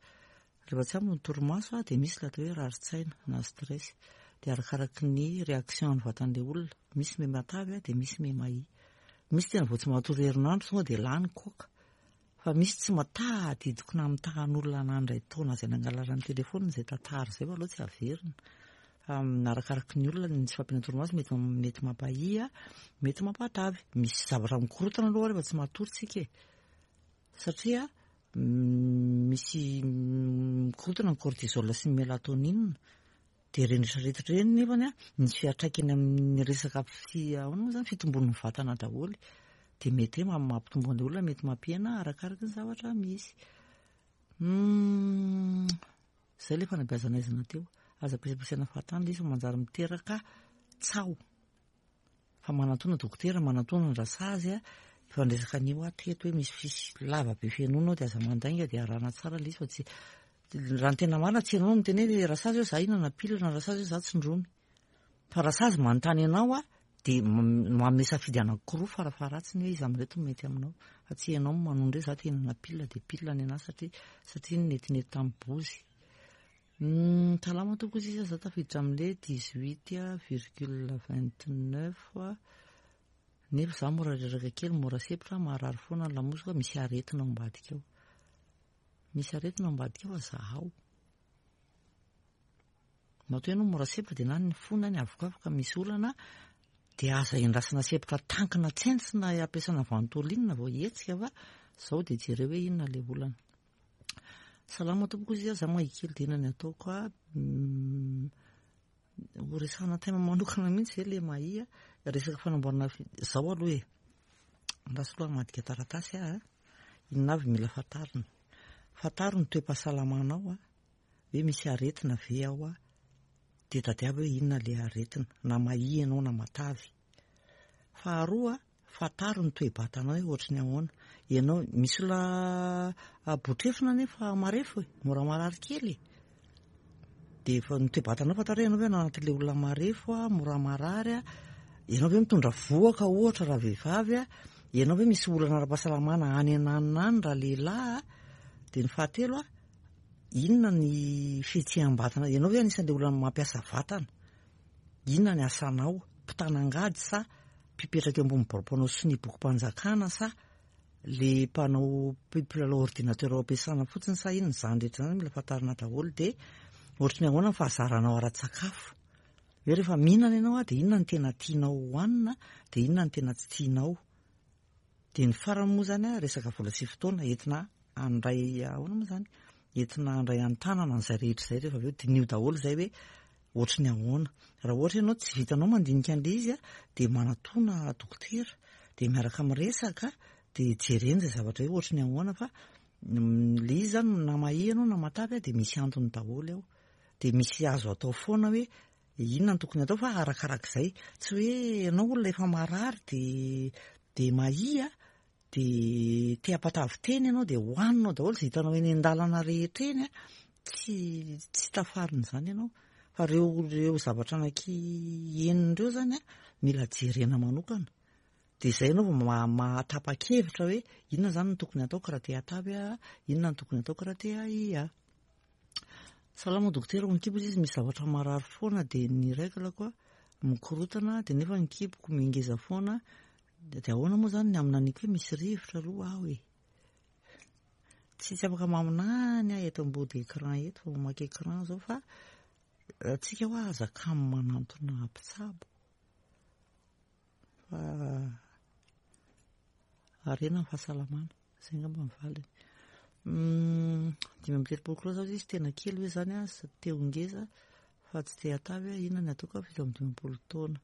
Rehefa tsy ampy ny torimaso a dia misy ilay atao hoe rarin-tsaina na stress, dia arakaraky ny réaction ny vatan'ilay olona. Misy miha matavy a dia misy miha mahia. Misy tena vao tsy matory herinandro tonga dia lany koka. Fa misy tsy matadidiko na mitahan'olona nandray taona izay nangalarany telefona izay tantara izay fa aloha tsy averina. Fa arakaraky ny olona ny tsy fahampiana torimaso mety mety mampahia, mety mampatavy. Misy zavatra mikorotana aloha rehefa tsy matory tsika e. Satria misy mikorotana ny cortisol sy ny mélatonine. Dia ireny rehetrarehetra ireny nefany a misy fiantraikany amin'ny resaka fi-, ahoana moa zany, fitombon'ny vatana daholo. Dia mety hoe mampitombo an'ilay olona, mety mampihena arakaraky ny zavatra misy. Izay ilay fanabeazana aizana teo. Aza ampiasaina fahatany ilay izy fa manjary miteraka tsaho. Fa manatona dokotera, manatona ny rasazy a, efa niresaka an'io aho teto hoe misy fisy lava be fenoina ao dia aza mandainga dia arahana tsara ilay izy fa tsy raha ny tena marina tsy ianao no miteny hoe rasazy hoe za hihinana pilina na rasazy hoe za tsindromy. Fa rasazy manontany anao a dia manome safidy anankiroa farafaharatsiny hoe iza amin'ireto no mety aminao. Fa tsy ianao no manondro hoe za te hihinana pilina dia pilina ny anahy satria satria netinety tamin'ny bozy. Salama tompoko izy, za tafiditra amin'ilay dix-huit virgule vingt-neuf nefa za mora reraka kely, mora sempotra, marary foana ny lamosiko, misy aretina ao ambadika ao. Misy aretina ao ambadika ao fa zahao. Matoa ianao mora sempotra dia na ny fo na ny avokavoka misy olana dia aza endrasana sempotra tankina tsentsina ampiasana ventoline vao hihetsika fa zao dia jereo hoe inona ilay olana. Salama tompoko izy, za mahia kely dia inona ny ataoko a? Ho resahana tena manokana mihitsy zay ilay mahia, resaka fanamboarana fi-, zao aloha e. Andraso aloha hamadika taratasy aho a. Inona avy mila fantarina? Fantaro ny toe-pahasalamanao a, hoe misy aretina ve ao a, dia tadiavo hoe inona ilay aretina, na mahia ianao na matavy. Faharoa, fantaro ny toe-batanao hoe ohatry ny ahoana. Ianao, misy olona botrefona nefa marefo e, mora marary kely e. Dia efa ny toe-batanao fantaro hoe ianao ve anatin'ilay olona marefo a, mora marary a, ianao ve mitondra vohoka ohatra raha vehivavy a, ianao ve misy olana ara-pahasalamana any ananona any raha lehilahy a. Dia ny fahatelo a, inona ny fihetseham-batana, ianao ve anisan'ilay olona mampiasa vatana, inona ny asanao, mpitana-angady sa mpipetraka eo ambony birao mpanao sonia bokim-panjakana sa le mpanao mpilalao ordinateur ao am-piasana fotsiny sa inona, izany rehetra izany mila fantarina daholo. Dia ohatry ny ahoana ny fahazaranao ara-tsakafo, hoe rehefa mihinana ianao a dia inona ny tena tianao hohanina, dia inona ny tena tsy tianao. Dia ny farany moa zany a, resaka vola sy fotoana entina handray, ahoana moa zany, entina handray an-tanana an'izay rehetra izay rehefa avy eo diniho daholo izay hoe ohatry ny ahoana. Raha ohatra ianao tsy vitanao mandinika an'ilay izy a, dia manatona dokotera, dia miaraka miresaka, dia jerena izay zavatra hoe ohatry ny ahoana, fa ilay izy zany na mahia ianao na matavy a, dia misy antony daholo ao. Dia misy azo atao foana hoe inona no tokony atao, fa arakarak'izay. Tsy hoe ianao olona efa marary dia dia mahia, dia te hampatavy tena ianao, dia hohaninao daholo izay hitanao eny an-dalana rehetra eny a, tsy tsy tafarina izany ianao. Fa ireo ireo zavatra anaky enina ireo zany a, mila jerena manokana. Dia izay ianao vao mahatapa-kevitra hoe inona zany no tokony ataoko raha te hatavy aho, inona no tokony ataoko raha te hahia. Salama dokotera, ny kibo izy misy zavatra marary foana, dia ny règle-ko a mikorotana, dia nefa ny kiboko mingeza foana, dia ahoana moa zany ny aminaniko hoe misy rivotra aloha aho e. Tsy tsy afaka maminany aho eto ambody écran eto, fa mamaky écran zao, fa tsika hoa aza kamo manantona mpitsabo, fa harena ny fahasalamana, izay angamba ny valiny. Dimy amby telopolo kilao zao izy, tena kely hoe zany a, te ho ngeza fa tsy te hatavy a, inona ny ataoko a, fito amby dimampolo taona.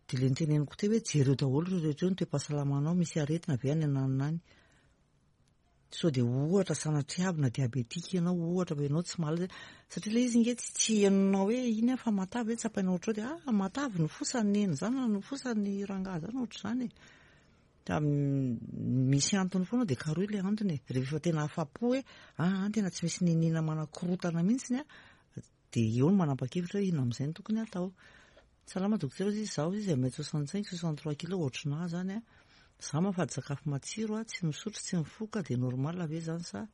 Dia ilay niteneniko teo hoe jereo daholo ireo rehetra ireo ny toe-pahasalamanao, misy aretina ve any ananona any. Sao dia ohatra sanatriavina diabetika ianao, ohatra fa ianao tsy mahalala, satria ilay izy nge tsy tsy henonao hoe iny aho fa matavy hoe tsapainao ohatr'izao dia ah matavy ny fosany neny zany na ny fosany rangahy zany ohatr'izany e. Da misy antony foana, dia karohy ilay antony e. Rehefa tena afa-po hoe ah tena tsy misy niniana manakorotana mihitsiny a, dia eo no manapa-kevitra hoe inona amin'izay no tokony atao. Salama dokotera, izy zaho izy un mètre soixante cinq, soixante trois kilos, ohatrinà zany a. Za mahafady sakafo matsiro a, tsy misotro, tsy mifoka, dia normal ve zany sa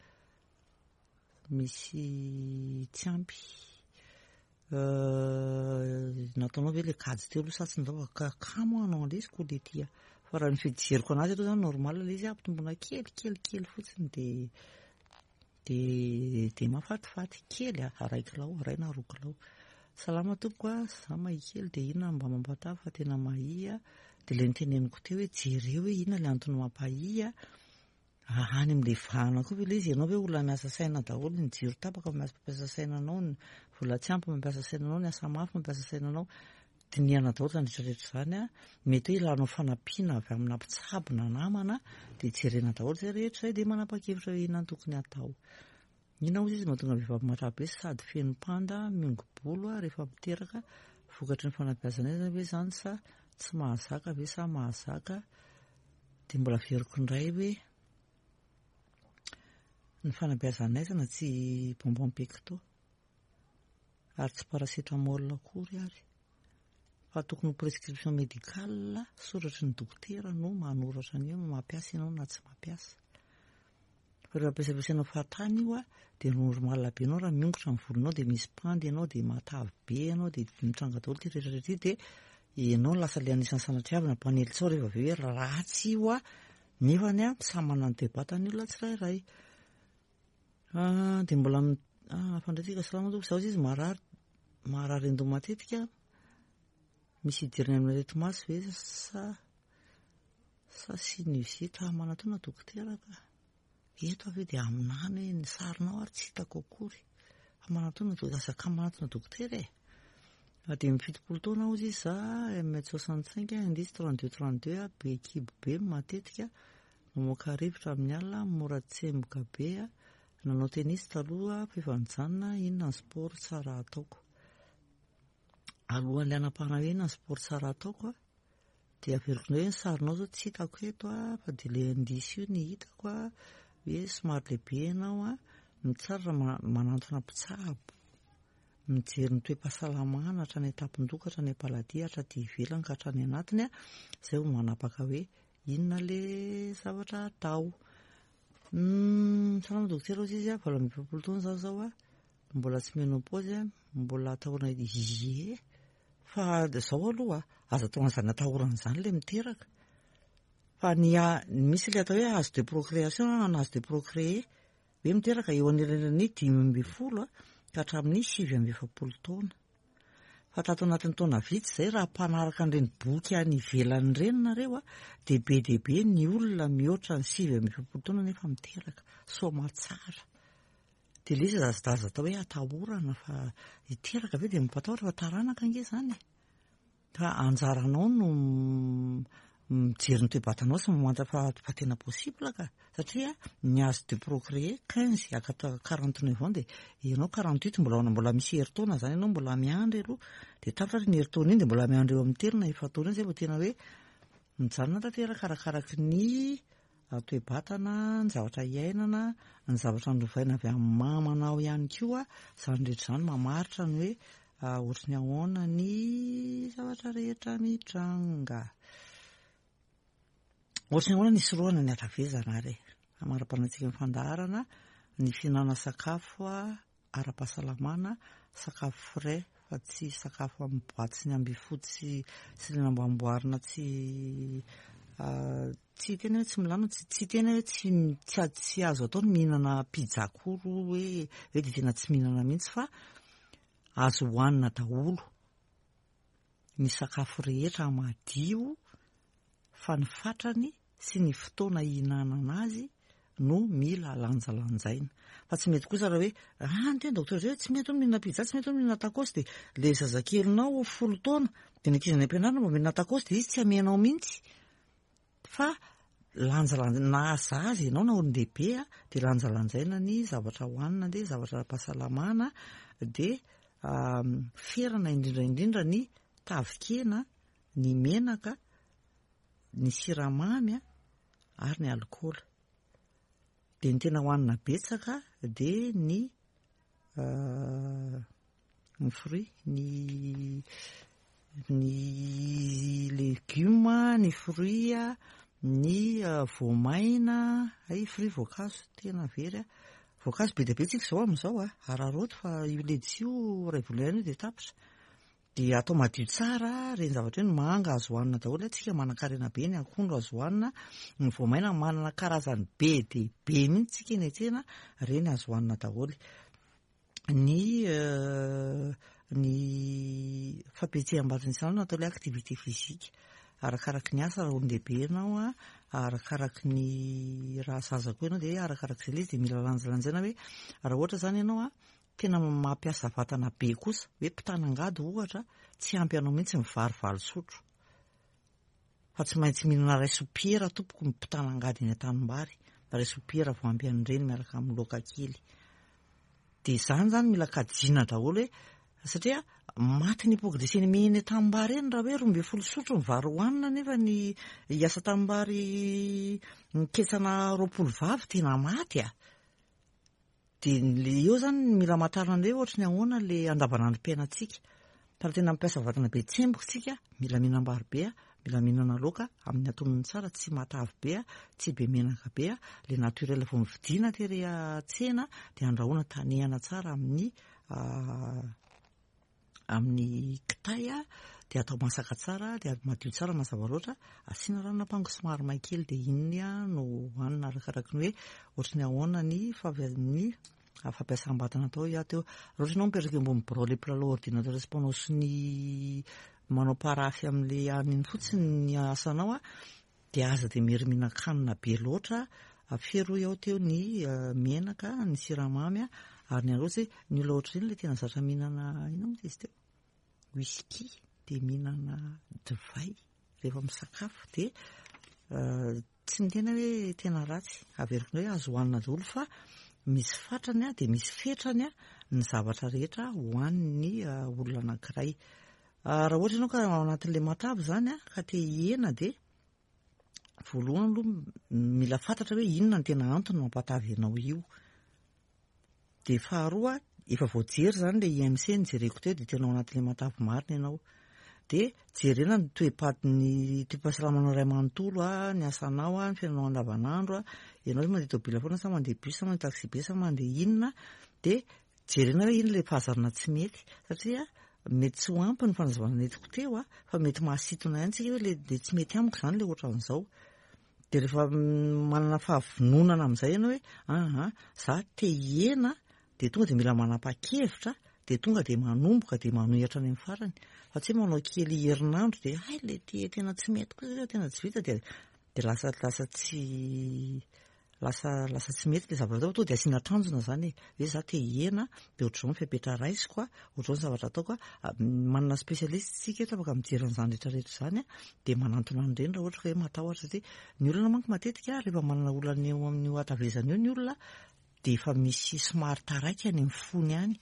misy tsy ampy? Nataonao ve le kajy teo aloha sa tsy natao? Ka kamo hanao an'ilay izy koa le ty a. Fa raha ny fijeriko anazy aloha zany normal ilay izy, ampitombona kely kely kely fotsiny dia dia dia mahafatifaty kely a, iray kilao, iray na roa kilao. Salama tompoko a, za mahia kely, dia inona mba mampatavy fa tena mahia? Dia ilay niteneniko teo hoe jereo hoe inona ilay antony mampahia, any amin'ilay vahana koa ve ilay izy, ianao ve olona miasa saina daholo, ny jiro tapaka mampiasa saina anao, ny vola tsy ampy mampiasa saina anao, ny asa mafy mampiasa saina anao, dinihana daholo izany rehetra rehetra izany a. Mety hoe ilanao fanampiana avy amina mpitsabo na namana, dia jerena daholo izay rehetra izay, dia manapa-kevitra hoe inona no tokony atao. Inona moa izy mahatonga vehivavy matavy be sady feno panda miongo-bolo a rehefa miteraka, vokatry ny fanabeazana aizana ve zany sa tsy mahazaka ve sa mahazaka? Dia mbola averiko indray hoe ny fanabeazana aizana tsy bonbon pecto ary tsy paracétamol akory ary, fa tokony ho prescription médicale soratry ny dokotera no manoratra an'io, mampiasa ianao na tsy mampiasa. Fa rehefa ampiasampiasainao fahatany io a, dia normal be ianao raha miongotra ny volonao, dia misy pandy ianao, dia matavy be ianao, dia mitranga daholo ity rehetra rehetra ity, dia ianao lasa ilay anisan'ny sanatriavina mpanely tsao rehefa avy eo hoe ratsy io a, nefany a samy manana ny toe-batany olona tsirairay. Dia mbola fandraisika salama tompoko, zaho izy marary, marary an-doha matetika, misy idirana amin'ny areti-maso ve sa sa sinusite? Manatona dokotera ka. Eto avy eo dia aminany hoe ny sarinao ary tsy hitako akory. Fa manatona dokotera, aza kamo manatona dokotera e. Dimy amby fitopolo taona hozy izy za, un mètre soixante cinq, indice trente deux trente deux, be kibo be matetika, mamoaka rivotra amin'ny alina, mora tsemboka be, nanao tenisy taloha fa efa nijanona. Inona ny sport tsara ataoko? Alohan'le hanapahana hoe inona ny sport tsara ataoko a, dia averiko indray hoe ny sarinao zao tsy hitako eto a, fa dia le indice io ny hitako a, hoe somary lehibe ianao a. Ny tsara raha manantona mpitsabo mijery ny toe-pahasalamana hatrany an-tampon-doha hatrany am-paladia, hatraty ivelany ka hatrany anatiny a, zay vao manapaka hoe inona le zavatra atao. Salama dokotera, hozy izy a, valo amby efapolo taona zaho zao a, mbola tsy ménopause a, mbola atahorana? Ie, fa zao aloha aza atao an'izany atahorana izany le miteraka, fa ny misy le atao hoe âge de procréation na âge de procréer, hoe miteraka eo anelanelan'ny dimy amby folo a ka hatramin'ny sivy amby efapolo taona. Fa tato anatin'ny taona vitsy zay, raha mpanaraka an'ireny boky any ivelany ireny nareo a, de be de be ny olona mihoatra ny sivy amby efapolo taona nefa miteraka somatsara. De le izy aza aza atao hoe atahorana fa hiteraka ve de mampatahotra, fa taranaka ange zany e. Fa anjaranao no mijery ny toe-batanao sy mamantatra fa fa tena possible ka, satria ny âge de procréer quinze à quarante neuf ans, de ianao quarante huit, mbola mbola misy herintaona zany ianao mbola miandry aloha, de tapitra ny herintaona iny de mbola miandry eo amin'ny telo na efa-taona iny zay vao tena hoe mijanona tanteraka, arakaraky ny toe-batana, ny zavatra iainana, ny zavatra norovaina avy amin'ny mamanao ihany koa. Zany rehetra zany mamaritra ny hoe ohatry ny ahoana ny zavatra rehetra mitranga. Ohatry ny ahoana ny isorohana ny hatavezana ary amara-panantsika ny fandaharana? Ny fihinana sakafo a ara-pahasalamana, sakafo frais fa tsy sakafo amin'ny boaty sy ny ambifotsy sy le namboamboarina, tsy tsy tena hoe tsy milamina, tsy tsy tena hoe tsy tsy tsy azo atao ny mihinana pizza akory hoe hoe de tena tsy mihinana mihitsy, fa azo hohanina daholo ny sakafo rehetra madio, fa ny fatrany sy ny fotoana hihinanana azy no mila lanjalanjaina. Fa tsy mety kosa raha hoe ah, ny tena docteur zay hoe tsy mety ho mihinana pizza, tsy mety ho mihinana tacos, de le zazakelinao folo taona de ny ankizy any am-pianarana mba mihinana tacos, de izy tsy amenao mihitsy. Fa lanjalanja, na zaza ianao na olon-dehibe a, de lanjalanjaina ny zavatra hohanina, de zavatra ara-pahasalamana, de ferana indrindra indrindra ny tavikena, ny menaka, ny siramamy a ary ny alikaola. De ny tena hohanina betsaka de ny ny fruit, ny ny legioma, ny fruit a, ny voamaina ay, fruit, voankazo tena very a, voankazo be dia be tsika izao amin'izao a, araraoty fa io ledisy io ray volana io de tapitra. De atao madio tsara reny zavatra hoe ny manga azo hohanina daholo, tsika manan-karena be, ny akondro azo hohanina, ny voamaina manana karazany be de be mihitsy tsika eny an-tsena, reny azo hohanina daholo. Ny ny fampihetseham-batana isan'andro atao, le activité physique, arakaraky ny asa raha olon-dehibe ianao a, arakaraky ny raha zaza koa ianao, de arakarak'izay le izy, de mila lanjalanjaina hoe raha ohatra zany ianao a tena mampiasa vatana be kosa, hoe mpitana-angady ohatra, tsy ampy anao mihitsy ny vary valo sotro, fa tsy maintsy mihinana ray sopiera tompoko ny mpitana-angady eny an-tanimbary, ray sopiera vao ampy an'ireny miaraka amin'ny laoka kely. De zany zany mila kajiana daholo hoe satria maty ny hypoglycémie eny an-tanimbary eny raha hoe roa amby folo sotro ny vary hohanina, nefa ny hiasa tanimbary miketsana roapolo vavy, tena maty a. De le eo zany mila mahatarina hoe ohatry ny ahoana le andavanandrom-piainantsika. Fa raha tena mampiasa vatana be, tsemboka tsika, mila mihinam-bary be a, mila mihinana laoka amin'ny antonony tsara, tsy matavy be a, tsy be menaka be a, le naturel vao mividiana tery an-tsena, de andrahoana tanehana tsara amin'ny amin'ny kitay a, de atao masaka tsara, de madio tsara, mazava loatra, asiana ranon'ampango somary may kely, de iny a no hohanina, arakaraky ny hoe ohatry ny ahoana ny fav- ny fampiasam-batana atao ia teo. Raha ohatra ianao mipetraka eo ambony birao, le mpilalao ordinateur sy mpanao sonia, manao paraphe amin'le aniny fotsiny ny asanao a, de aza de mery mihinan-kanina be loatra, afero ao teo ny menaka, ny siramamy a, ary ny ohatsy hoe ny olona ohatr'ireny le tena zatra mihinana, inona moa izy teo? whisky, de mihinana divay rehefa misakafo, de tsy miteny hoe tena ratsy, averiko indray, azo hohanina daholo, fa misy fatrany a, de misy fetrany a ny zavatra rehetra hohanin'ny olona anankiray. Raha ohatra ianao ka ao anatin'le matavy zany a, ka te hihena, de voalohany aloha mila fantatra hoe inona ny tena antony mampatavy anao io. De faharoa, efa voajery zany le I M C nijereko teo, de tena ao anatin'le matavy marina ianao. De jerena ny toe-paty, ny toe-pahasalamanao ray manontolo a, ny asanao a, ny fiainanao andavanandro a, ianao hoe mandeha tômobila foana sa mandeha bus sa mandeha taxi be sa mandeha inona, de jerena hoe ino le fahazarana tsy mety, satria mety tsy ho ampy ny fanazavana nentiko teo a, fa mety mahasintona ihany tsika hoe le de tsy mety amiko zany le ohatran'izao. De rehefa manana fahavononana amin'izay ianao hoe aha, za te hihena, de tonga de mila manapa-kevitra, de tonga de manomboka, de manohy hatrany amin'ny farany, fa tsy hoe manao kely herinandro de hay le ty tena tsy mety koa, tena tsy vita, de de lasa lasa tsy lasa lasa tsy mety le zavatra atao. Tonga de asiana tanjona zany e, hoe za te hihena, de ohatr'izao ny fepetra raisiko a, ohatr'izao ny zavatra ataoko a. Manana spécialiste tsika eto afaka mijery an'izany rehetrarehetra zany a, de manantona an'ireny raha ohatra ka hoe matahotra, satria ny olona manko matetika rehefa manana olana eo amin'io hatavezana io ny olona, de efa misy somary taraiky any amin'ny fony any,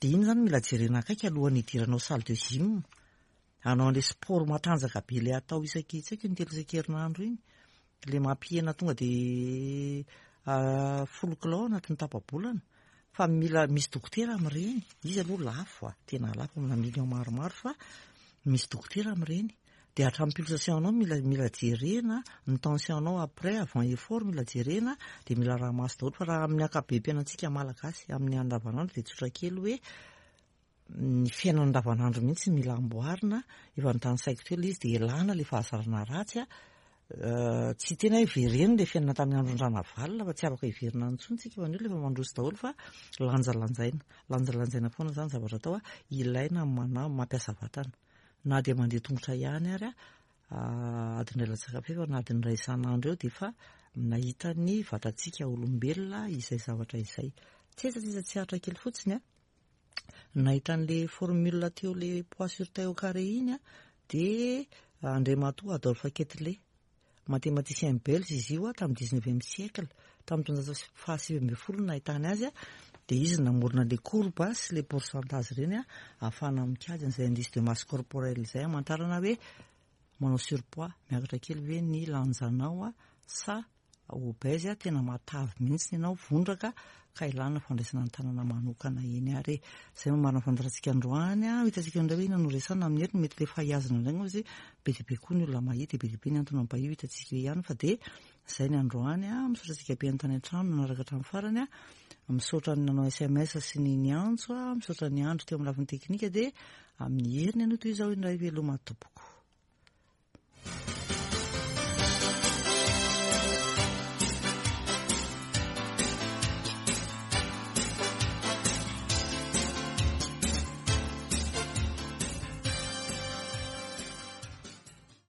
de iny zany mila jerena akaiky alohan'ny hidiranao salle de gym, hanao an'le sport matanjaka be le atao isaky, tsy haiko, intelo isan-kerinandro iny, le mampihena tonga de folo kilao anatin'ny tapa-bolana. Fa mila misy dokotera amin'ireny izy aloha, lafo a, tena lafo, amina million maromaro, fa misy dokotera amin'ireny. De hatramin'ny pulsation anao mila mila jerena, ny tension anao après, avant effort mila jerena, de mila raha maso daholo. Fa raha amin'ny ankapobem-piainantsika malagasy amin'ny andavanandro, de tsotra kely hoe ny fiainana andavanandro mihitsy mila amboarina, efa notanisaiko teo le izy, de elana le fahazarana ratsy a. Tsy tena hoe vereno le fiainana tamin'ny andron-dRanavalona, fa tsy afaka hiverina intsony tsika, fa ny olona efa mandroso daholo, fa lanjalanjaina, lanjalanjaina foana zany zavatra atao a. Ilaina mana mampiasa vatana, na de mandeha tongotra ihany ary a, adiny iray latsaka fahefany na adiny iray isan'andro eo, de efa nahita ny vatantsika olombelona izay zavatra izay. Tsetsatsetsa tsy aritra kely fotsiny a, nahita an'le formule teo, le poids sur taille au carré iny a, de Andriamatoa Adolphe Quetelet, mathématicien belge izy io a, tamin'ny dix-neuvième siècle, tamin'ny taonjato fahasivy ambin'ny folo nahitany azy a. De izy namorona le courbe sy le pourcentage reny a, ahafahana mikajy an'izay indice de masse corporelle zay, amantarana hoe manao surpoids, miakatra kely ve ny lanjanao a, sa obèse a, tena matavy mihitsy ianao, vondraka, ka ilana fandraisana ny tanana manokana eny. Ary zay mamarina fandaharantsika androany a. Hitantsika indray hoe inona no resana amin'ny heriny, mety le fahiazana indray moa izy, be dia be koa ny olona mahita, be dia be ny antony mampahio, hitantsika eo ihany. Fa de zay ny androany a. Misaotra antsika be tany an-trano nanaraka hatramin'ny farany a, misaotra ny nanao S M S sy ny niantso a, misaotra ny andro teo amin'ny lafiny teknika. De amin'ny heriny anio toy izao indray, veloma tompoko.